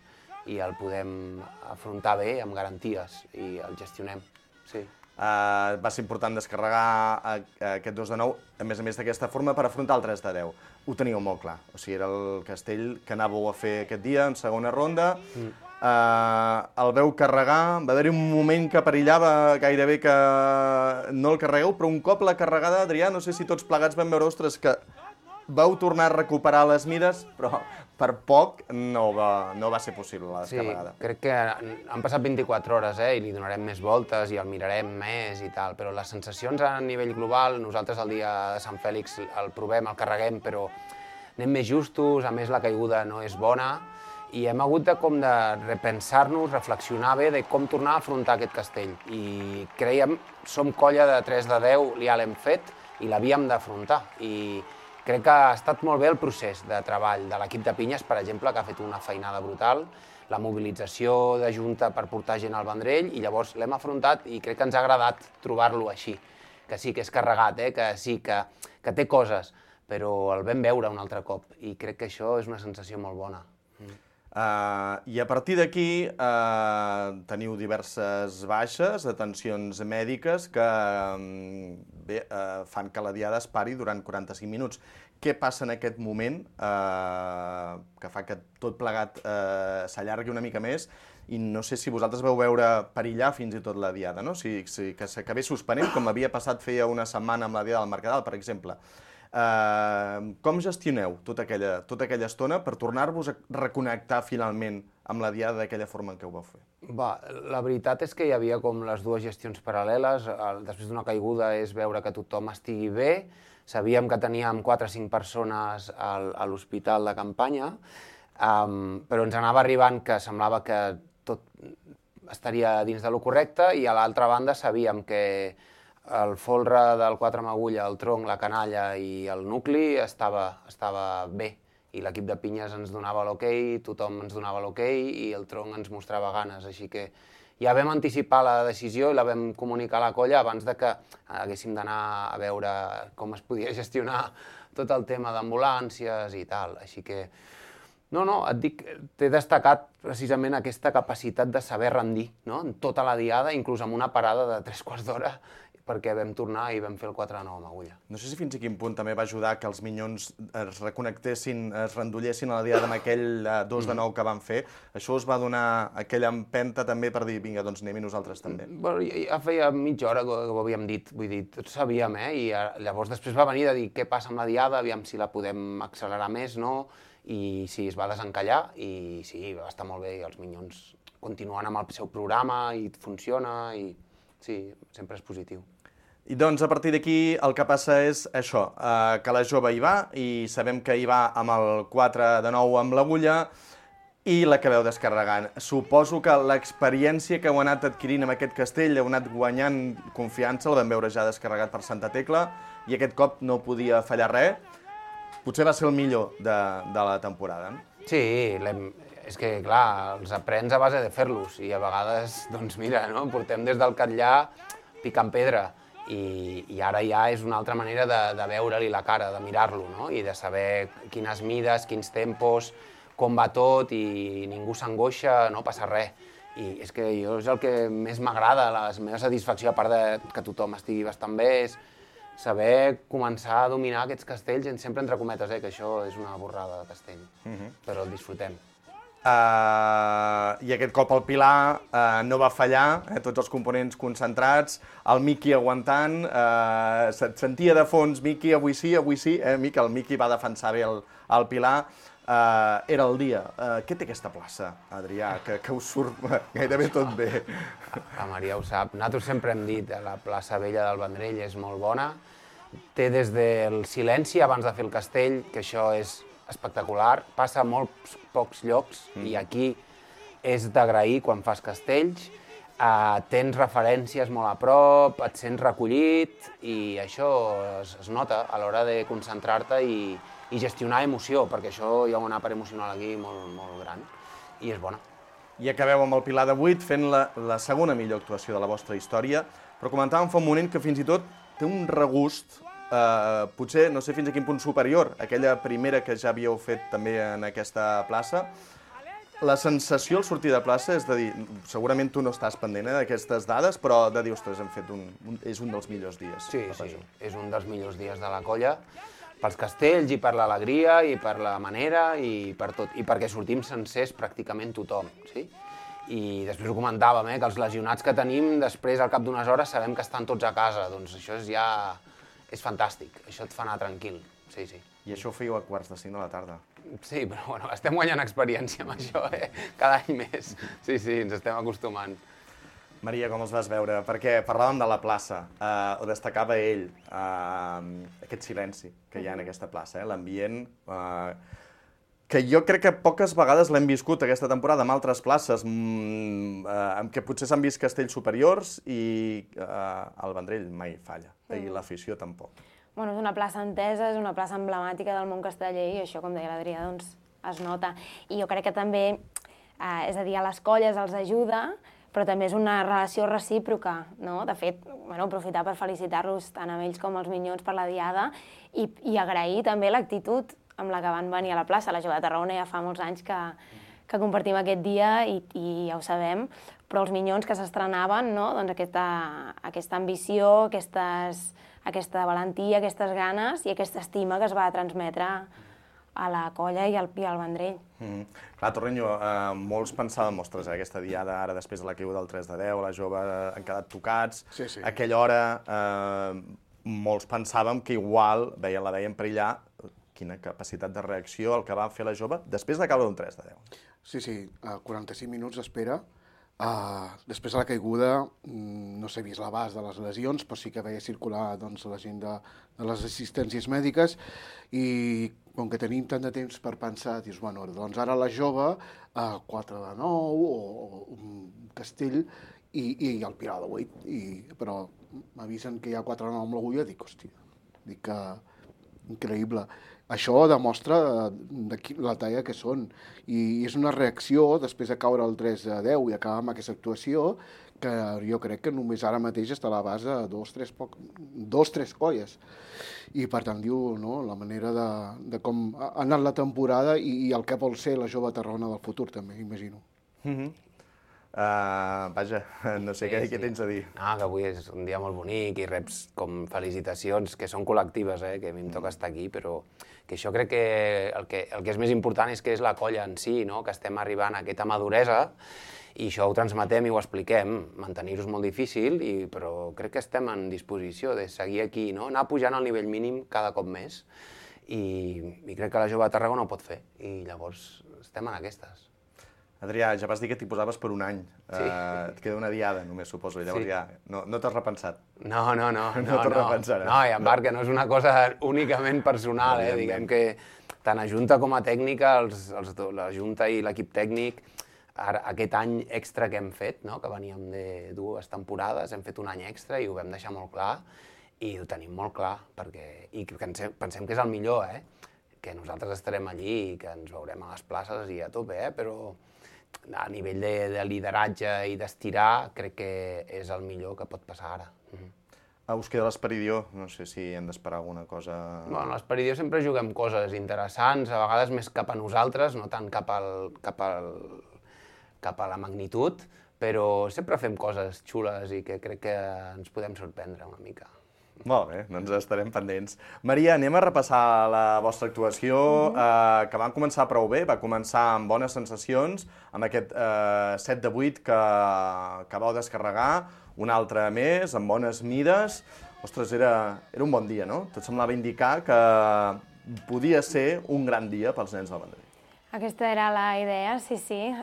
i el podem afrontar bé, amb garanties, i el gestionem, sí. Va ser important descarregar aquest 2 de 9, a més d'aquesta forma, per afrontar el 3 de 10. Ho teníeu molt clar, o sigui, era el castell que anàveu a fer aquest dia, en segona ronda. El veu carregar, va haver-hi un moment que perillava gairebé que no el carregueu, però un cop la carregada, Adrià, no sé si tots plegats vam veure, ostres, que vau tornar a recuperar les mides, però per poc no va ser possible la descarregada. Sí, crec que han passat 24 hores i li donarem més voltes i el mirarem més i tal, però les sensacions a nivell global, nosaltres el dia de Sant Fèlix el provem, el carreguem, però anem més justos, a més la caiguda no és bona, i hem hagut de repensar-nos, reflexionar bé de com tornar a afrontar aquest castell. I creiem, som colla de 3 de 10, ja l'hem fet i l'havíem d'afrontar. I crec que ha estat molt bé el procés de treball de l'equip de Pinyes, per exemple, que ha fet una feinada brutal, la mobilització de Junta per portar gent al Vendrell, i llavors l'hem afrontat i crec que ens ha agradat trobar-lo així, que sí que és carregat, que sí que té coses, però el vam veure un altre cop i crec que això és una sensació molt bona. I a partir d'aquí teniu diverses baixes, detencions mèdiques que fan que la diada es pari durant 45 minuts. Què passa en aquest moment que fa que tot plegat s'allargui una mica més? I no sé si vosaltres veu veure perillar fins i tot la diada, no? Que s'acabés suspenent, com havia passat feia una setmana amb la diada del Mercadal, per exemple. Com gestioneu tota aquella estona per tornar-vos a reconnectar finalment amb la diada d'aquella forma en què ho vau fer? La veritat és que hi havia com les dues gestions paral·leles. Després d'una caiguda és veure que tothom estigui bé. Sabíem que teníem 4 o 5 persones a l'hospital de campanya, però ens anava arribant que semblava que tot estaria dins de lo correcte, i a l'altra banda sabíem que el folre del 4 amb agulla, el tronc, la canalla i el nucli estava bé, i l'equip de Pinyes ens donava l'okei, tothom ens donava l'okei i el tronc ens mostrava ganes, així que ja vam anticipar la decisió i la vam comunicar a la colla abans de que haguéssim d'anar a veure com es podia gestionar tot el tema d'ambulàncies i tal, així que no, et dic, t'he destacat precisament aquesta capacitat de saber rendir, no? En tota la diada, inclús amb una parada de 3 quarts d'hora, perquè vam tornar i vam fer el 4-9 amb agulla. No sé si fins a quin punt també va ajudar que els Minyons es reconectessin, es rendollessin a la diada amb aquell 2-9 que van fer. Això us va donar aquella empenta també per dir, vinga, doncs anem-hi nosaltres també. Bueno, ja feia mitja hora que ho havíem dit, vull dir, tots sabíem, i llavors després va venir de dir què passa amb la diada, aviam si la podem accelerar més, no? I sí, es va desencallar i sí, va estar molt bé, i els Minyons continuen amb el seu programa i funciona, i sí, sempre és positiu. I doncs a partir d'aquí el que passa és això, que la jove hi va i sabem que hi va amb el 4-9 amb l'agulla i l'acabeu descarregant. Suposo que l'experiència que heu anat adquirint amb aquest castell, heu anat guanyant confiança, el vam veure ja descarregat per Santa Tecla i aquest cop no podia fallar res. Potser va ser el millor de la temporada. Sí, és que, clar, els aprens a base de fer-los i a vegades, doncs mira, no? Portem des del Catllà picant pedra i ara ja és una altra manera de veure-li la cara, de mirar-lo, no? I de saber quines mides, quins tempos, com va tot i ningú s'angoixa, no passa res. I és que jo és el que més m'agrada, la meva satisfacció, a part de que tothom estigui bastant bé, és saber començar a dominar aquests castells, sempre entre cometes, que això és una borrada de castell, però el disfrutem. I aquest cop el Pilar no va fallar, tots els components concentrats, el Miqui aguantant, se't sentia de fons, Miqui, avui sí, Miqui, el Miqui va defensar bé el Pilar, era el dia. Què té aquesta plaça, Adrià, que us surt gairebé tot bé? La Maria ho sap, nosaltres sempre hem dit, la plaça vella del Vendrell és molt bona, té des del silenci abans de fer el castell, que això és espectacular, passa a molts pocs llocs i aquí és d'agrair quan fas castells, tens referències molt a prop, et sents recollit i això es nota a l'hora de concentrar-te i gestionar emoció, perquè això hi ha una part emocional aquí molt gran i és bona. I acabeu amb el Pilar de 8 fent la segona millor actuació de la vostra història, però comentàvem fa un moment que fins i tot té un regust potser, no sé fins a quin punt superior, aquella primera que ja havíeu fet també en aquesta plaça. La sensació al sortir de plaça és de dir, segurament tu no estàs pendent d'aquestes dades, però de dir, ostres, és un dels millors dies. Sí, és un dels millors dies de la colla, pels castells i per l'alegria i per la manera i per tot, i perquè sortim sencers pràcticament tothom, sí? I després ho comentàvem, que els lesionats que tenim, després, al cap d'unes hores, sabem que estan tots a casa, doncs això és fantàstic, això et fa anar tranquil, sí. I això ho fèieu a 4:45 de la tarda. Sí, però bueno, estem guanyant experiència amb això, cada any més. Sí, ens estem acostumant. Maria, com els vas veure? Perquè parlàvem de la plaça, ho destacava ell, aquest silenci que hi ha en aquesta plaça, l'ambient, que jo crec que poques vegades l'hem viscut aquesta temporada en altres places, en què potser s'han vist castells superiors i el Vendrell mai falla, i l'afició tampoc. Bueno, és una plaça entesa, és una plaça emblemàtica del món casteller i això, com deia l'Adrià, doncs es nota. I jo crec que també, és a dir, a les colles els ajuda, però també és una relació recíproca, no? De fet, aprofitar per felicitar-los tant amb ells com els Minyons per la diada i agrair també l'actitud amb la que van venir a la plaça. La Jove de Tarragona ja fa molts anys que compartim aquest dia i ja ho sabem, però els Minyons que s'estrenaven, no? Doncs aquesta ambició, aquesta valentia, aquestes ganes i aquesta estima que es va transmetre a la colla i al Vendrell. Clar, Torrenyo, molts pensàvem, ostres, aquesta diada ara després de la caiguda del 3-10, la Jove han quedat tocats, a aquella hora molts pensàvem que igual la veiem perillar. Quina capacitat de reacció el que va fer la Jove després de caure d'un 3-10. Sí, 45 minuts d'espera. Després de la caiguda no s'ha vist l'abast de les lesions, però sí que veia circular la gent de les assistències mèdiques i com que tenim tant de temps per pensar, dius, bueno, doncs ara la Jove, 4-9 o un castell i el Pilar de 8, però m'avisen que hi ha 4-9 amb l'agulla, dic, hòstia, que increïble. Això demostra la talla que són i és una reacció després de caure el 3-10 i acabar amb aquesta actuació que jo crec que només ara mateix està a l'abast de 2-3 colles. I per tant, diu, la manera de com ha anat la temporada i el que vol ser la Jove Tarragona del futur també, imagino. Vaja, no sé què tens a dir. No, que avui és un dia molt bonic i reps com felicitacions, que són col·lectives, que a mi em toca estar aquí, però que això crec que el que és més important és que és la colla en si, no? Que estem arribant a aquesta maduresa i això ho transmetem i ho expliquem. Mantenir-ho és molt difícil, però crec que estem en disposició de seguir aquí, no? Anar pujant al nivell mínim cada cop més i crec que la jove de Tarragona ho pot fer i llavors estem en aquestes. Adrià, ja vas dir que t'hi posaves per un any. Sí. Et queda una diada, només, suposo. Llavors ja no t'has repensat. No. No t'ho repensaràs. No, i en part que no és una cosa únicament personal, diguem que tant a Junta com a tècnica, la Junta i l'equip tècnic, aquest any extra que hem fet, no? Que veníem de 2 temporades, hem fet un any extra i ho vam deixar molt clar i ho tenim molt clar, i pensem que és el millor, que nosaltres estarem allí i que ens veurem a les places i a tope, però a nivell de lideratge i d'estirar, crec que és el millor que pot passar ara. Us queda l'Esperidió, no sé si hem d'esperar alguna cosa... Bueno, a l'Esperidió sempre juguem coses interessants, a vegades més cap a nosaltres, no tant cap a la magnitud, però sempre fem coses xules i que crec que ens podem sorprendre una mica. Molt bé, doncs estarem pendents. Maria, anem a repassar la vostra actuació, que va començar prou bé, va començar amb bones sensacions, amb aquest 7 de 8 que vau descarregar, un altre més, amb bones mides. Ostres, era un bon dia, no? Tot semblava indicar que podia ser un gran dia pels nens del Vendrell. Aquesta era la idea, sí,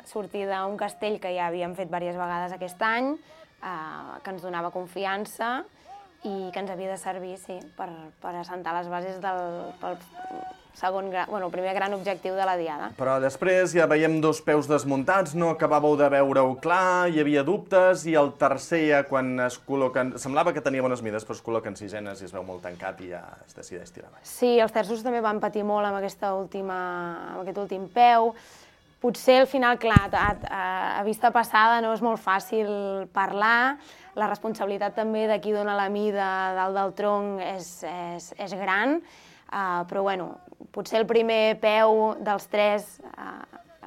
sortir d'un castell que ja havíem fet diverses vegades aquest any, que ens donava confiança, i que ens havia de servir, per assentar les bases pel primer gran objectiu de la Diada. Però després ja veiem 2 peus desmuntats, no acabàveu de veure-ho clar, hi havia dubtes, i el tercer ja quan es col·loquen... Semblava que tenia bones mides, però es col·loquen sisenes i es veu molt tancat i ja es decideix tirar avall. Sí, els terços també van patir molt amb aquest últim peu. Potser al final, clar, a vista passada no és molt fàcil parlar, la responsabilitat també de qui dona la mida dalt del tronc és gran, però bueno, potser el primer peu dels 3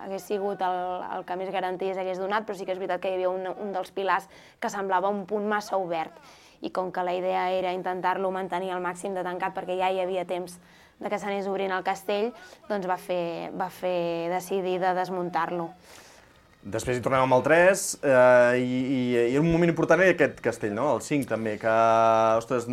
hagués sigut el que més garanties hagués donat, però sí que és veritat que hi havia un dels pilars que semblava un punt massa obert, i com que la idea era intentar-lo mantenir al màxim de tancat perquè ja hi havia temps de que s'anés obrint el castell, doncs va fer decidir de desmuntar-lo. Després hi tornem amb el 3, i un moment important era aquest castell, no? El 5 també, que, ostres,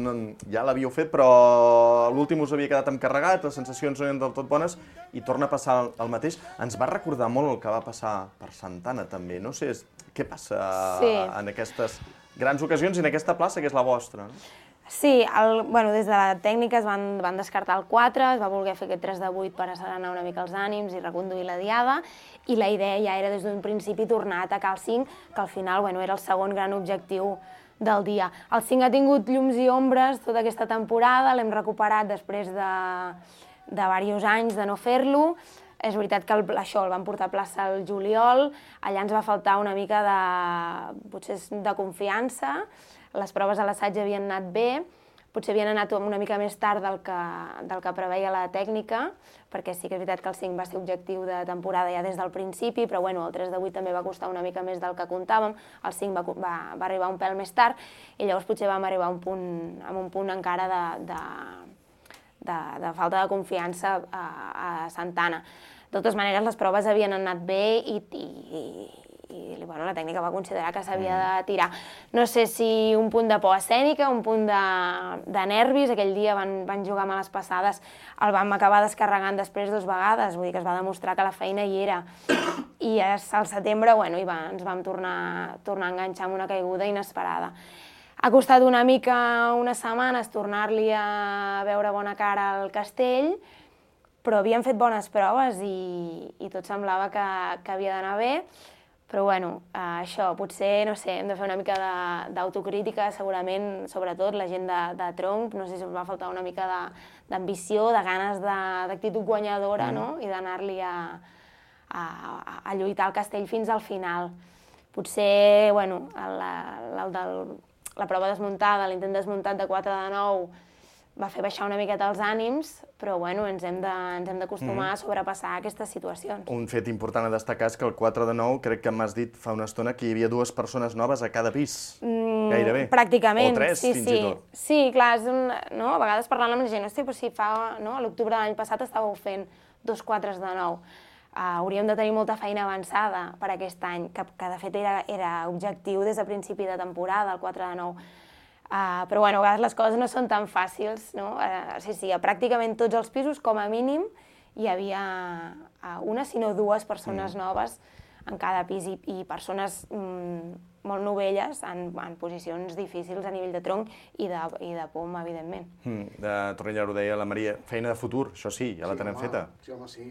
ja l'havíeu fet, però l'últim us havia quedat encarregat, les sensacions no eren del tot bones, i torna a passar el mateix. Ens va recordar molt el que va passar per Santana, també. No sé què passa en aquestes grans ocasions i en aquesta plaça, que és la vostra, no? Sí, des de la tècnica es van descartar el 4, es va voler fer aquest 3 de 8 per asserenar una mica els ànims i reconduir la Diada, i la idea ja era des d'un principi tornar a atacar el 5, que al final era el segon gran objectiu del dia. El 5 ha tingut llums i ombres tota aquesta temporada, l'hem recuperat després de diversos anys de no fer-lo. És veritat que això el vam portar a plaça el juliol, allà ens va faltar una mica de confiança, les proves a l'assaig havien anat bé, potser havien anat una mica més tard del que preveia la tècnica, perquè sí que és veritat que el 5 va ser objectiu de temporada ja des del principi, però el 3 de 8 també va costar una mica més del que comptàvem, el 5 va arribar un pèl més tard, i llavors potser vam arribar amb un punt encara de falta de confiança a Santana. De totes maneres, les proves havien anat bé i la tècnica va considerar que s'havia de tirar. No sé si un punt de por escènica, un punt de nervis, aquell dia van jugar males passades, el vam acabar descarregant després 2 vegades, vull dir que es va demostrar que la feina hi era. I al setembre ens vam tornar a enganxar amb una caiguda inesperada. Ha costat una mica, unes setmanes, tornar-li a veure bona cara al castell, però havíem fet bones proves i tot semblava que havia d'anar bé. Però això, potser, no sé, hem de fer una mica d'autocrítica, segurament, sobretot la gent de tronc, no sé si ens va faltar una mica d'ambició, de ganes d'actitud guanyadora, no? I d'anar-li a lluitar el castell fins al final. Potser, la prova desmuntada, l'intent desmuntat de 4 de 9, va fer baixar una miqueta els ànims, però bueno, ens hem d'acostumar a sobrepassar aquestes situacions. Un fet important a destacar és que el 4 de 9, crec que m'has dit fa una estona que hi havia 2 persones noves a cada pis, gairebé. Pràcticament, o 3, sí, fins i tot. Sí, clar, no? A vegades parlant amb la gent, hosti, però si a l'octubre de l'any passat estàveu fent 2 4 de 9. Hauríem de tenir molta feina avançada per aquest any, que de fet era objectiu des de principi de temporada, el 4 de 9. Però bueno, a vegades les coses no són tan fàcils, no? Sí, a pràcticament tots els pisos, com a mínim, hi havia una, si no 2 persones noves en cada pis i persones molt novelles en posicions difícils a nivell de tronc i de pom, evidentment. De Torrella ho deia la Maria, feina de futur, això sí, ja la tenem feta. Sí, home, sí.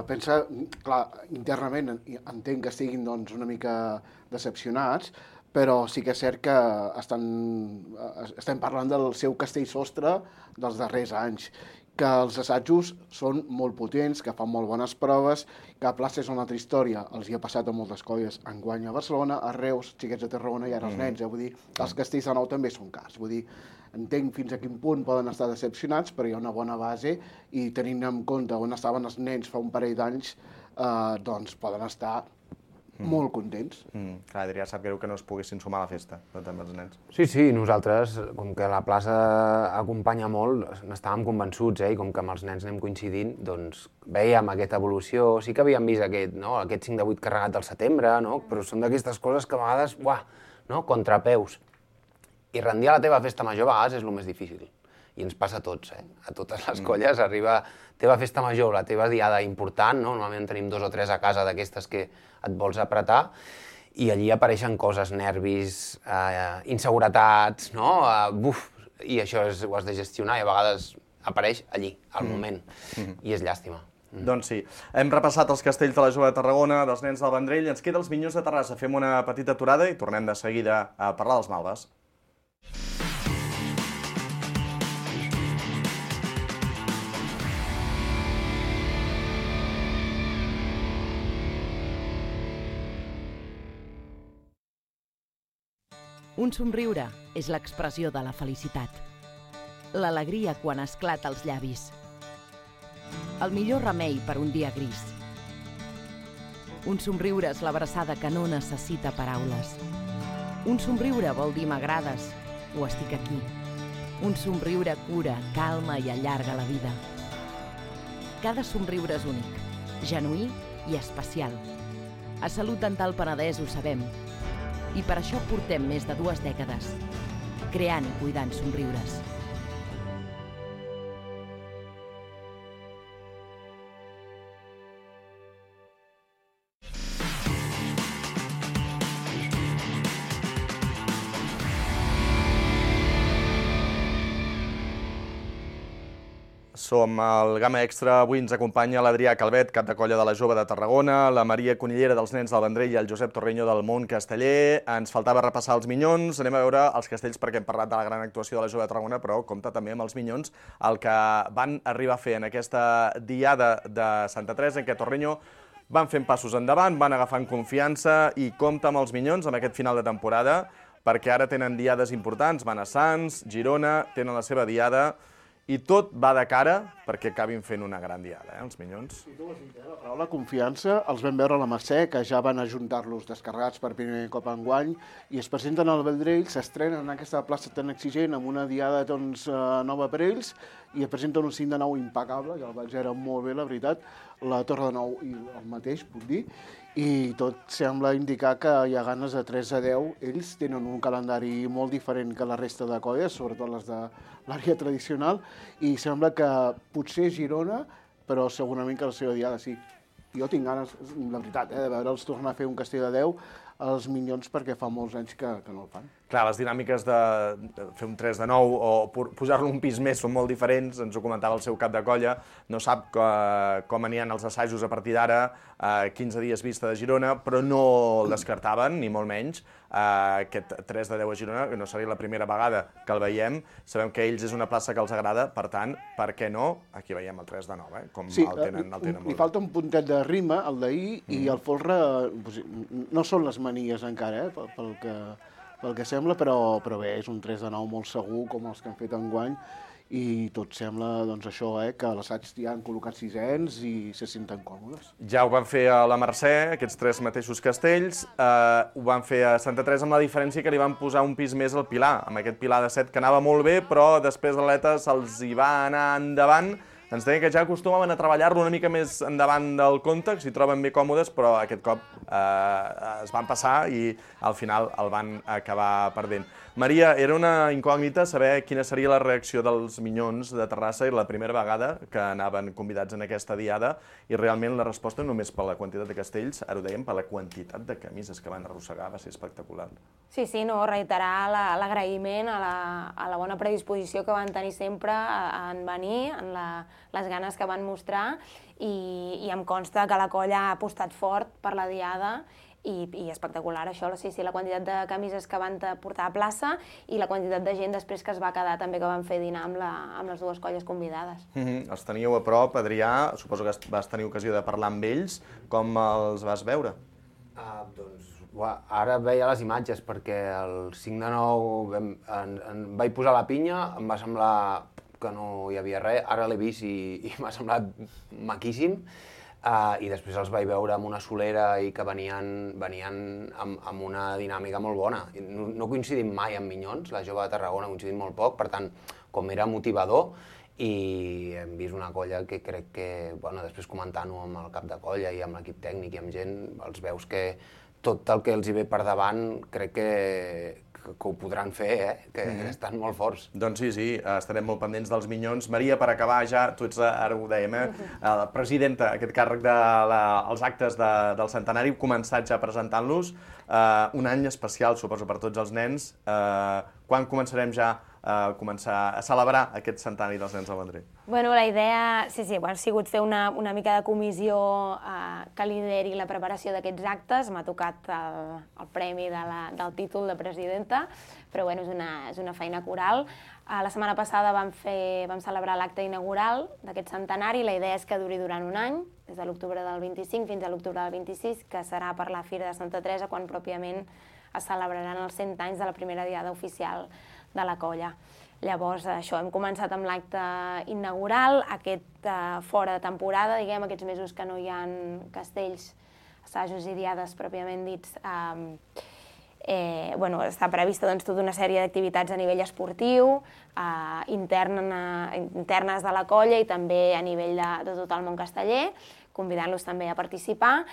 Pensa, clar, internament entenc que estiguin una mica decepcionats, però sí que és cert que estem parlant del seu castell sostre dels darrers anys, que els assajos són molt potents, que fan molt bones proves, que a plaça és una altra història. Els hi ha passat a moltes colles, enguany a Barcelona, a Reus, Xiquets de Tarragona i ara els nens. Vull dir, els castells de nou també són cars. Vull dir, entenc fins a quin punt poden estar decepcionats, però hi ha una bona base i tenint en compte on estaven els nens fa un parell d'anys, doncs poden estar molt contents. Clar, Adrià, sap greu que no es poguessin sumar a la festa, també els nens. Sí, nosaltres, com que la plaça acompanya molt, n'estàvem convençuts, i com que amb els nens anem coincidint, doncs veiem aquesta evolució. Sí que havíem vist aquest 5 de 8 carregat al setembre, però són d'aquestes coses que a vegades, contrapeus. I rendir a la teva festa major a vegades és el més difícil. I ens passa a tots, a totes les colles. Arriba teva festa major, la teva diada important, normalment tenim 2 o 3 a casa d'aquestes que et vols apretar, i allí apareixen coses, nervis, inseguretats, i això ho has de gestionar i a vegades apareix allí, al moment, i és llàstima. Doncs sí, hem repassat els castells de la Jove de Tarragona, dels nens del Vendrell, ens queda els Minyons de Terrassa. Fem una petita aturada i tornem de seguida a parlar dels Malves. Un somriure és l'expressió de la felicitat. L'alegria quan esclata als llavis. El millor remei per un dia gris. Un somriure és l'abraçada que no necessita paraules. Un somriure vol dir m'agrades o estic aquí. Un somriure cura, calma i allarga la vida. Cada somriure és únic, genuí i especial. A Salut Dental Penedès ho sabem. I per això portem més de 2 dècades, creant i cuidant somriures. Som al Gamma Extra. Avui ens acompanya l'Adrià Calvet, cap de colla de la Jove de Tarragona, la Maria Conillera dels nens del Vendrell i el Josep Torreño del Mont Casteller. Ens faltava repassar els Minyons. Anem a veure els castells perquè hem parlat de la gran actuació de la Jove de Tarragona, però compta també amb els Minyons el que van arribar a fer en aquesta diada de Santa Teresa, en què Torreño van fent passos endavant, van agafant confiança i compta amb els Minyons amb aquest final de temporada, perquè ara tenen diades importants, van a Sants, Girona, tenen la seva diada, i tot va de cara perquè acabin fent una gran diada, els Minyons. Sí, tu ho has dit, la paraula confiança, els vam veure a la Mercè, que ja van ajuntar-los descarregats per primer cop enguany, i es presenten al Vendrell, s'estrenen en aquesta plaça tan exigent, amb una diada nova per ells, i es presenten un 5 de 9 impecable, que el vaig veure molt bé, la veritat, la Torre de 9 i el mateix, puc dir, i tot sembla indicar que hi ha ganes de 3 a 10. Ells tenen un calendari molt diferent que la resta de colles, sobretot les de l'àrea tradicional, i sembla que potser Girona, però segurament que la seva diada sí. Jo tinc ganes, la veritat, de veure'ls tornar a fer un castell de 10 als Minyons perquè fa molts anys que no el fan. Clar, les dinàmiques de fer un 3 de 9 o pujar-lo un pis més són molt diferents, ens ho comentava el seu cap de colla, no sap com aniran els assajos a partir d'ara, 15 dies vista de Girona, però no el descartaven, ni molt menys, aquest 3 de 10 a Girona, que no seria la primera vegada que el veiem, sabem que ells és una plaça que els agrada, per tant, per què no? Aquí veiem el 3 de 9, com el tenen molt bé. Li falta un puntet de rima, el d'ahir, i el folre, no són les manies encara, pel que sembla, però bé, és un 3 de 9 molt segur, com els que han fet enguany, i tot sembla doncs, això, que a l'assaig ja han col·locat sisens i se senten còmodes. Ja ho van fer a la Mercè, aquests 3 mateixos castells, ho van fer a Santa Teresa amb la diferència que li van posar un pis més al Pilar, amb aquest Pilar de 7 que anava molt bé, però després l'Aleta se'ls hi va anar endavant. Ens deien que ja acostumaven a treballar-lo una mica més endavant del compte, que s'hi troben bé còmodes, però aquest cop es van passar i al final el van acabar perdent. Maria, era una incògnita saber quina seria la reacció dels Minyons de Terrassa i la primera vegada que anaven convidats en aquesta diada i realment la resposta només per la quantitat de castells, ara ho dèiem, per la quantitat de camises que van arrossegar, va ser espectacular. Sí, no, reiterar l'agraïment a la bona predisposició que van tenir sempre en venir, en les ganes que van mostrar i em consta que la colla ha apostat fort per la diada i espectacular això, sí, la quantitat de camises que van portar a plaça i la quantitat de gent després que es va quedar també que van fer dinar amb les dues colles convidades. Els teníeu a prop, Adrià, suposo que vas tenir ocasió de parlar amb ells, com els vas veure? Ara veia les imatges perquè el 5 de 9 em vaig posar la pinya, em va semblar que no hi havia res, ara l'he vist i m'ha semblat maquíssim. I després els vaig veure amb una solera i que venien amb una dinàmica molt bona. No coincidim mai amb Minyons, la jove de Tarragona coincidim molt poc, per tant, com era motivador, i hem vist una colla que crec que, després comentant-ho amb el cap de colla i amb l'equip tècnic i amb gent, els veus que tot el que els hi ve per davant crec que ho podran fer, que estan molt forts. Doncs sí, estarem molt pendents dels Minyons. Maria, per acabar ja, tu ets, ara ho dèiem, la presidenta, aquest càrrec dels actes del centenari, heu començat ja presentant-los. Un any especial, suposo, per tots els nens. Quan començarem ja a celebrar aquest centenari dels nens del Vendrell? Bueno, la idea, ha sigut fer una mica de comissió que lideri la preparació d'aquests actes. M'ha tocat el premi del títol de presidenta, però bueno, és una feina coral. La setmana passada vam celebrar l'acte inaugural d'aquest centenari. La idea és que duri durant un any, des de l'octubre del 25 fins a l'octubre del 26, que serà per la Fira de Santa Teresa, quan pròpiament es celebraran els 100 anys de la primera diada oficial de la colla. Llavors, això, hem començat amb l'acte inaugural, aquest fora de temporada, diguem, aquests mesos que no hi ha castells, assajos i diades pròpiament dits. Està prevista tota una sèrie d'activitats a nivell esportiu, internes de la colla i també a nivell de tot el món casteller, convidant-los també a participar,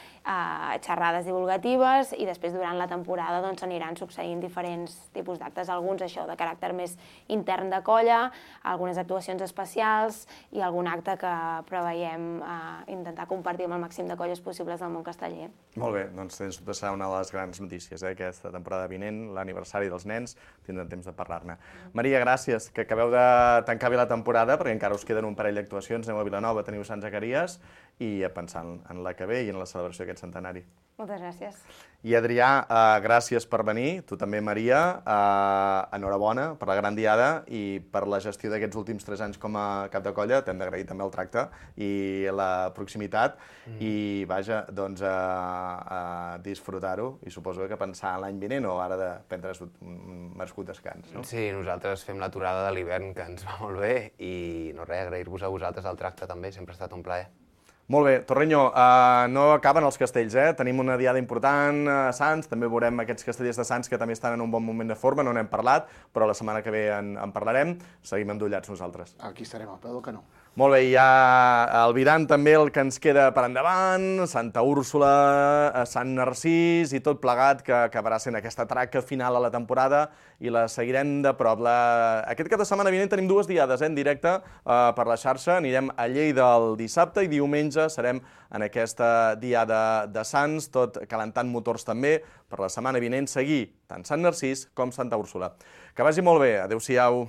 xerrades divulgatives i després durant la temporada s'aniran succeint diferents tipus d'actes, alguns això de caràcter més intern de colla, algunes actuacions especials i algun acte que preveiem intentar compartir amb el màxim de colles possibles del món casteller. Molt bé, doncs sens dubte serà una de les grans notícies aquesta temporada vinent, l'aniversari dels nens, tindrem temps de parlar-ne. Maria, gràcies, que acabeu de tancar bé la temporada, perquè encara us queden un parell d'actuacions, aneu a Vilanova, teniu Sant Zacaries, i pensant en la que ve i en la celebració d'aquest centenari. Moltes gràcies. I Adrià, gràcies per venir, tu també, Maria, enhorabona per la gran diada i per la gestió d'aquests últims 3 anys com a cap de colla, t'hem d'agrair també el tracte i la proximitat i vaja, doncs a disfrutar-ho i suposo que pensar en l'any vinent o ara de prendre un merescut descans, no? Sí, nosaltres fem l'aturada de l'hivern, que ens va molt bé i no res, agrair-vos a vosaltres el tracte també, sempre ha estat un plaer. Molt bé, Torreño, no acaben els castells, tenim una diada important a Sants, també veurem aquests castellers de Sants que també estan en un bon moment de forma, no n'hem parlat, però la setmana que ve en parlarem, seguim endollats nosaltres. Aquí estarem al peu del canó. Molt bé, hi ha albirant també el que ens queda per endavant, Santa Úrsula, Sant Narcís i tot plegat que acabarà sent aquesta traca final a la temporada i la seguirem de prop. Aquest cap de setmana vinent tenim 2 diades en directe per la xarxa, anirem a Lleida el dissabte i diumenge serem en aquesta diada de Sants, tot calentant motors també, per la setmana vinent seguir tant Sant Narcís com Santa Úrsula. Que vagi molt bé, adeu-siau.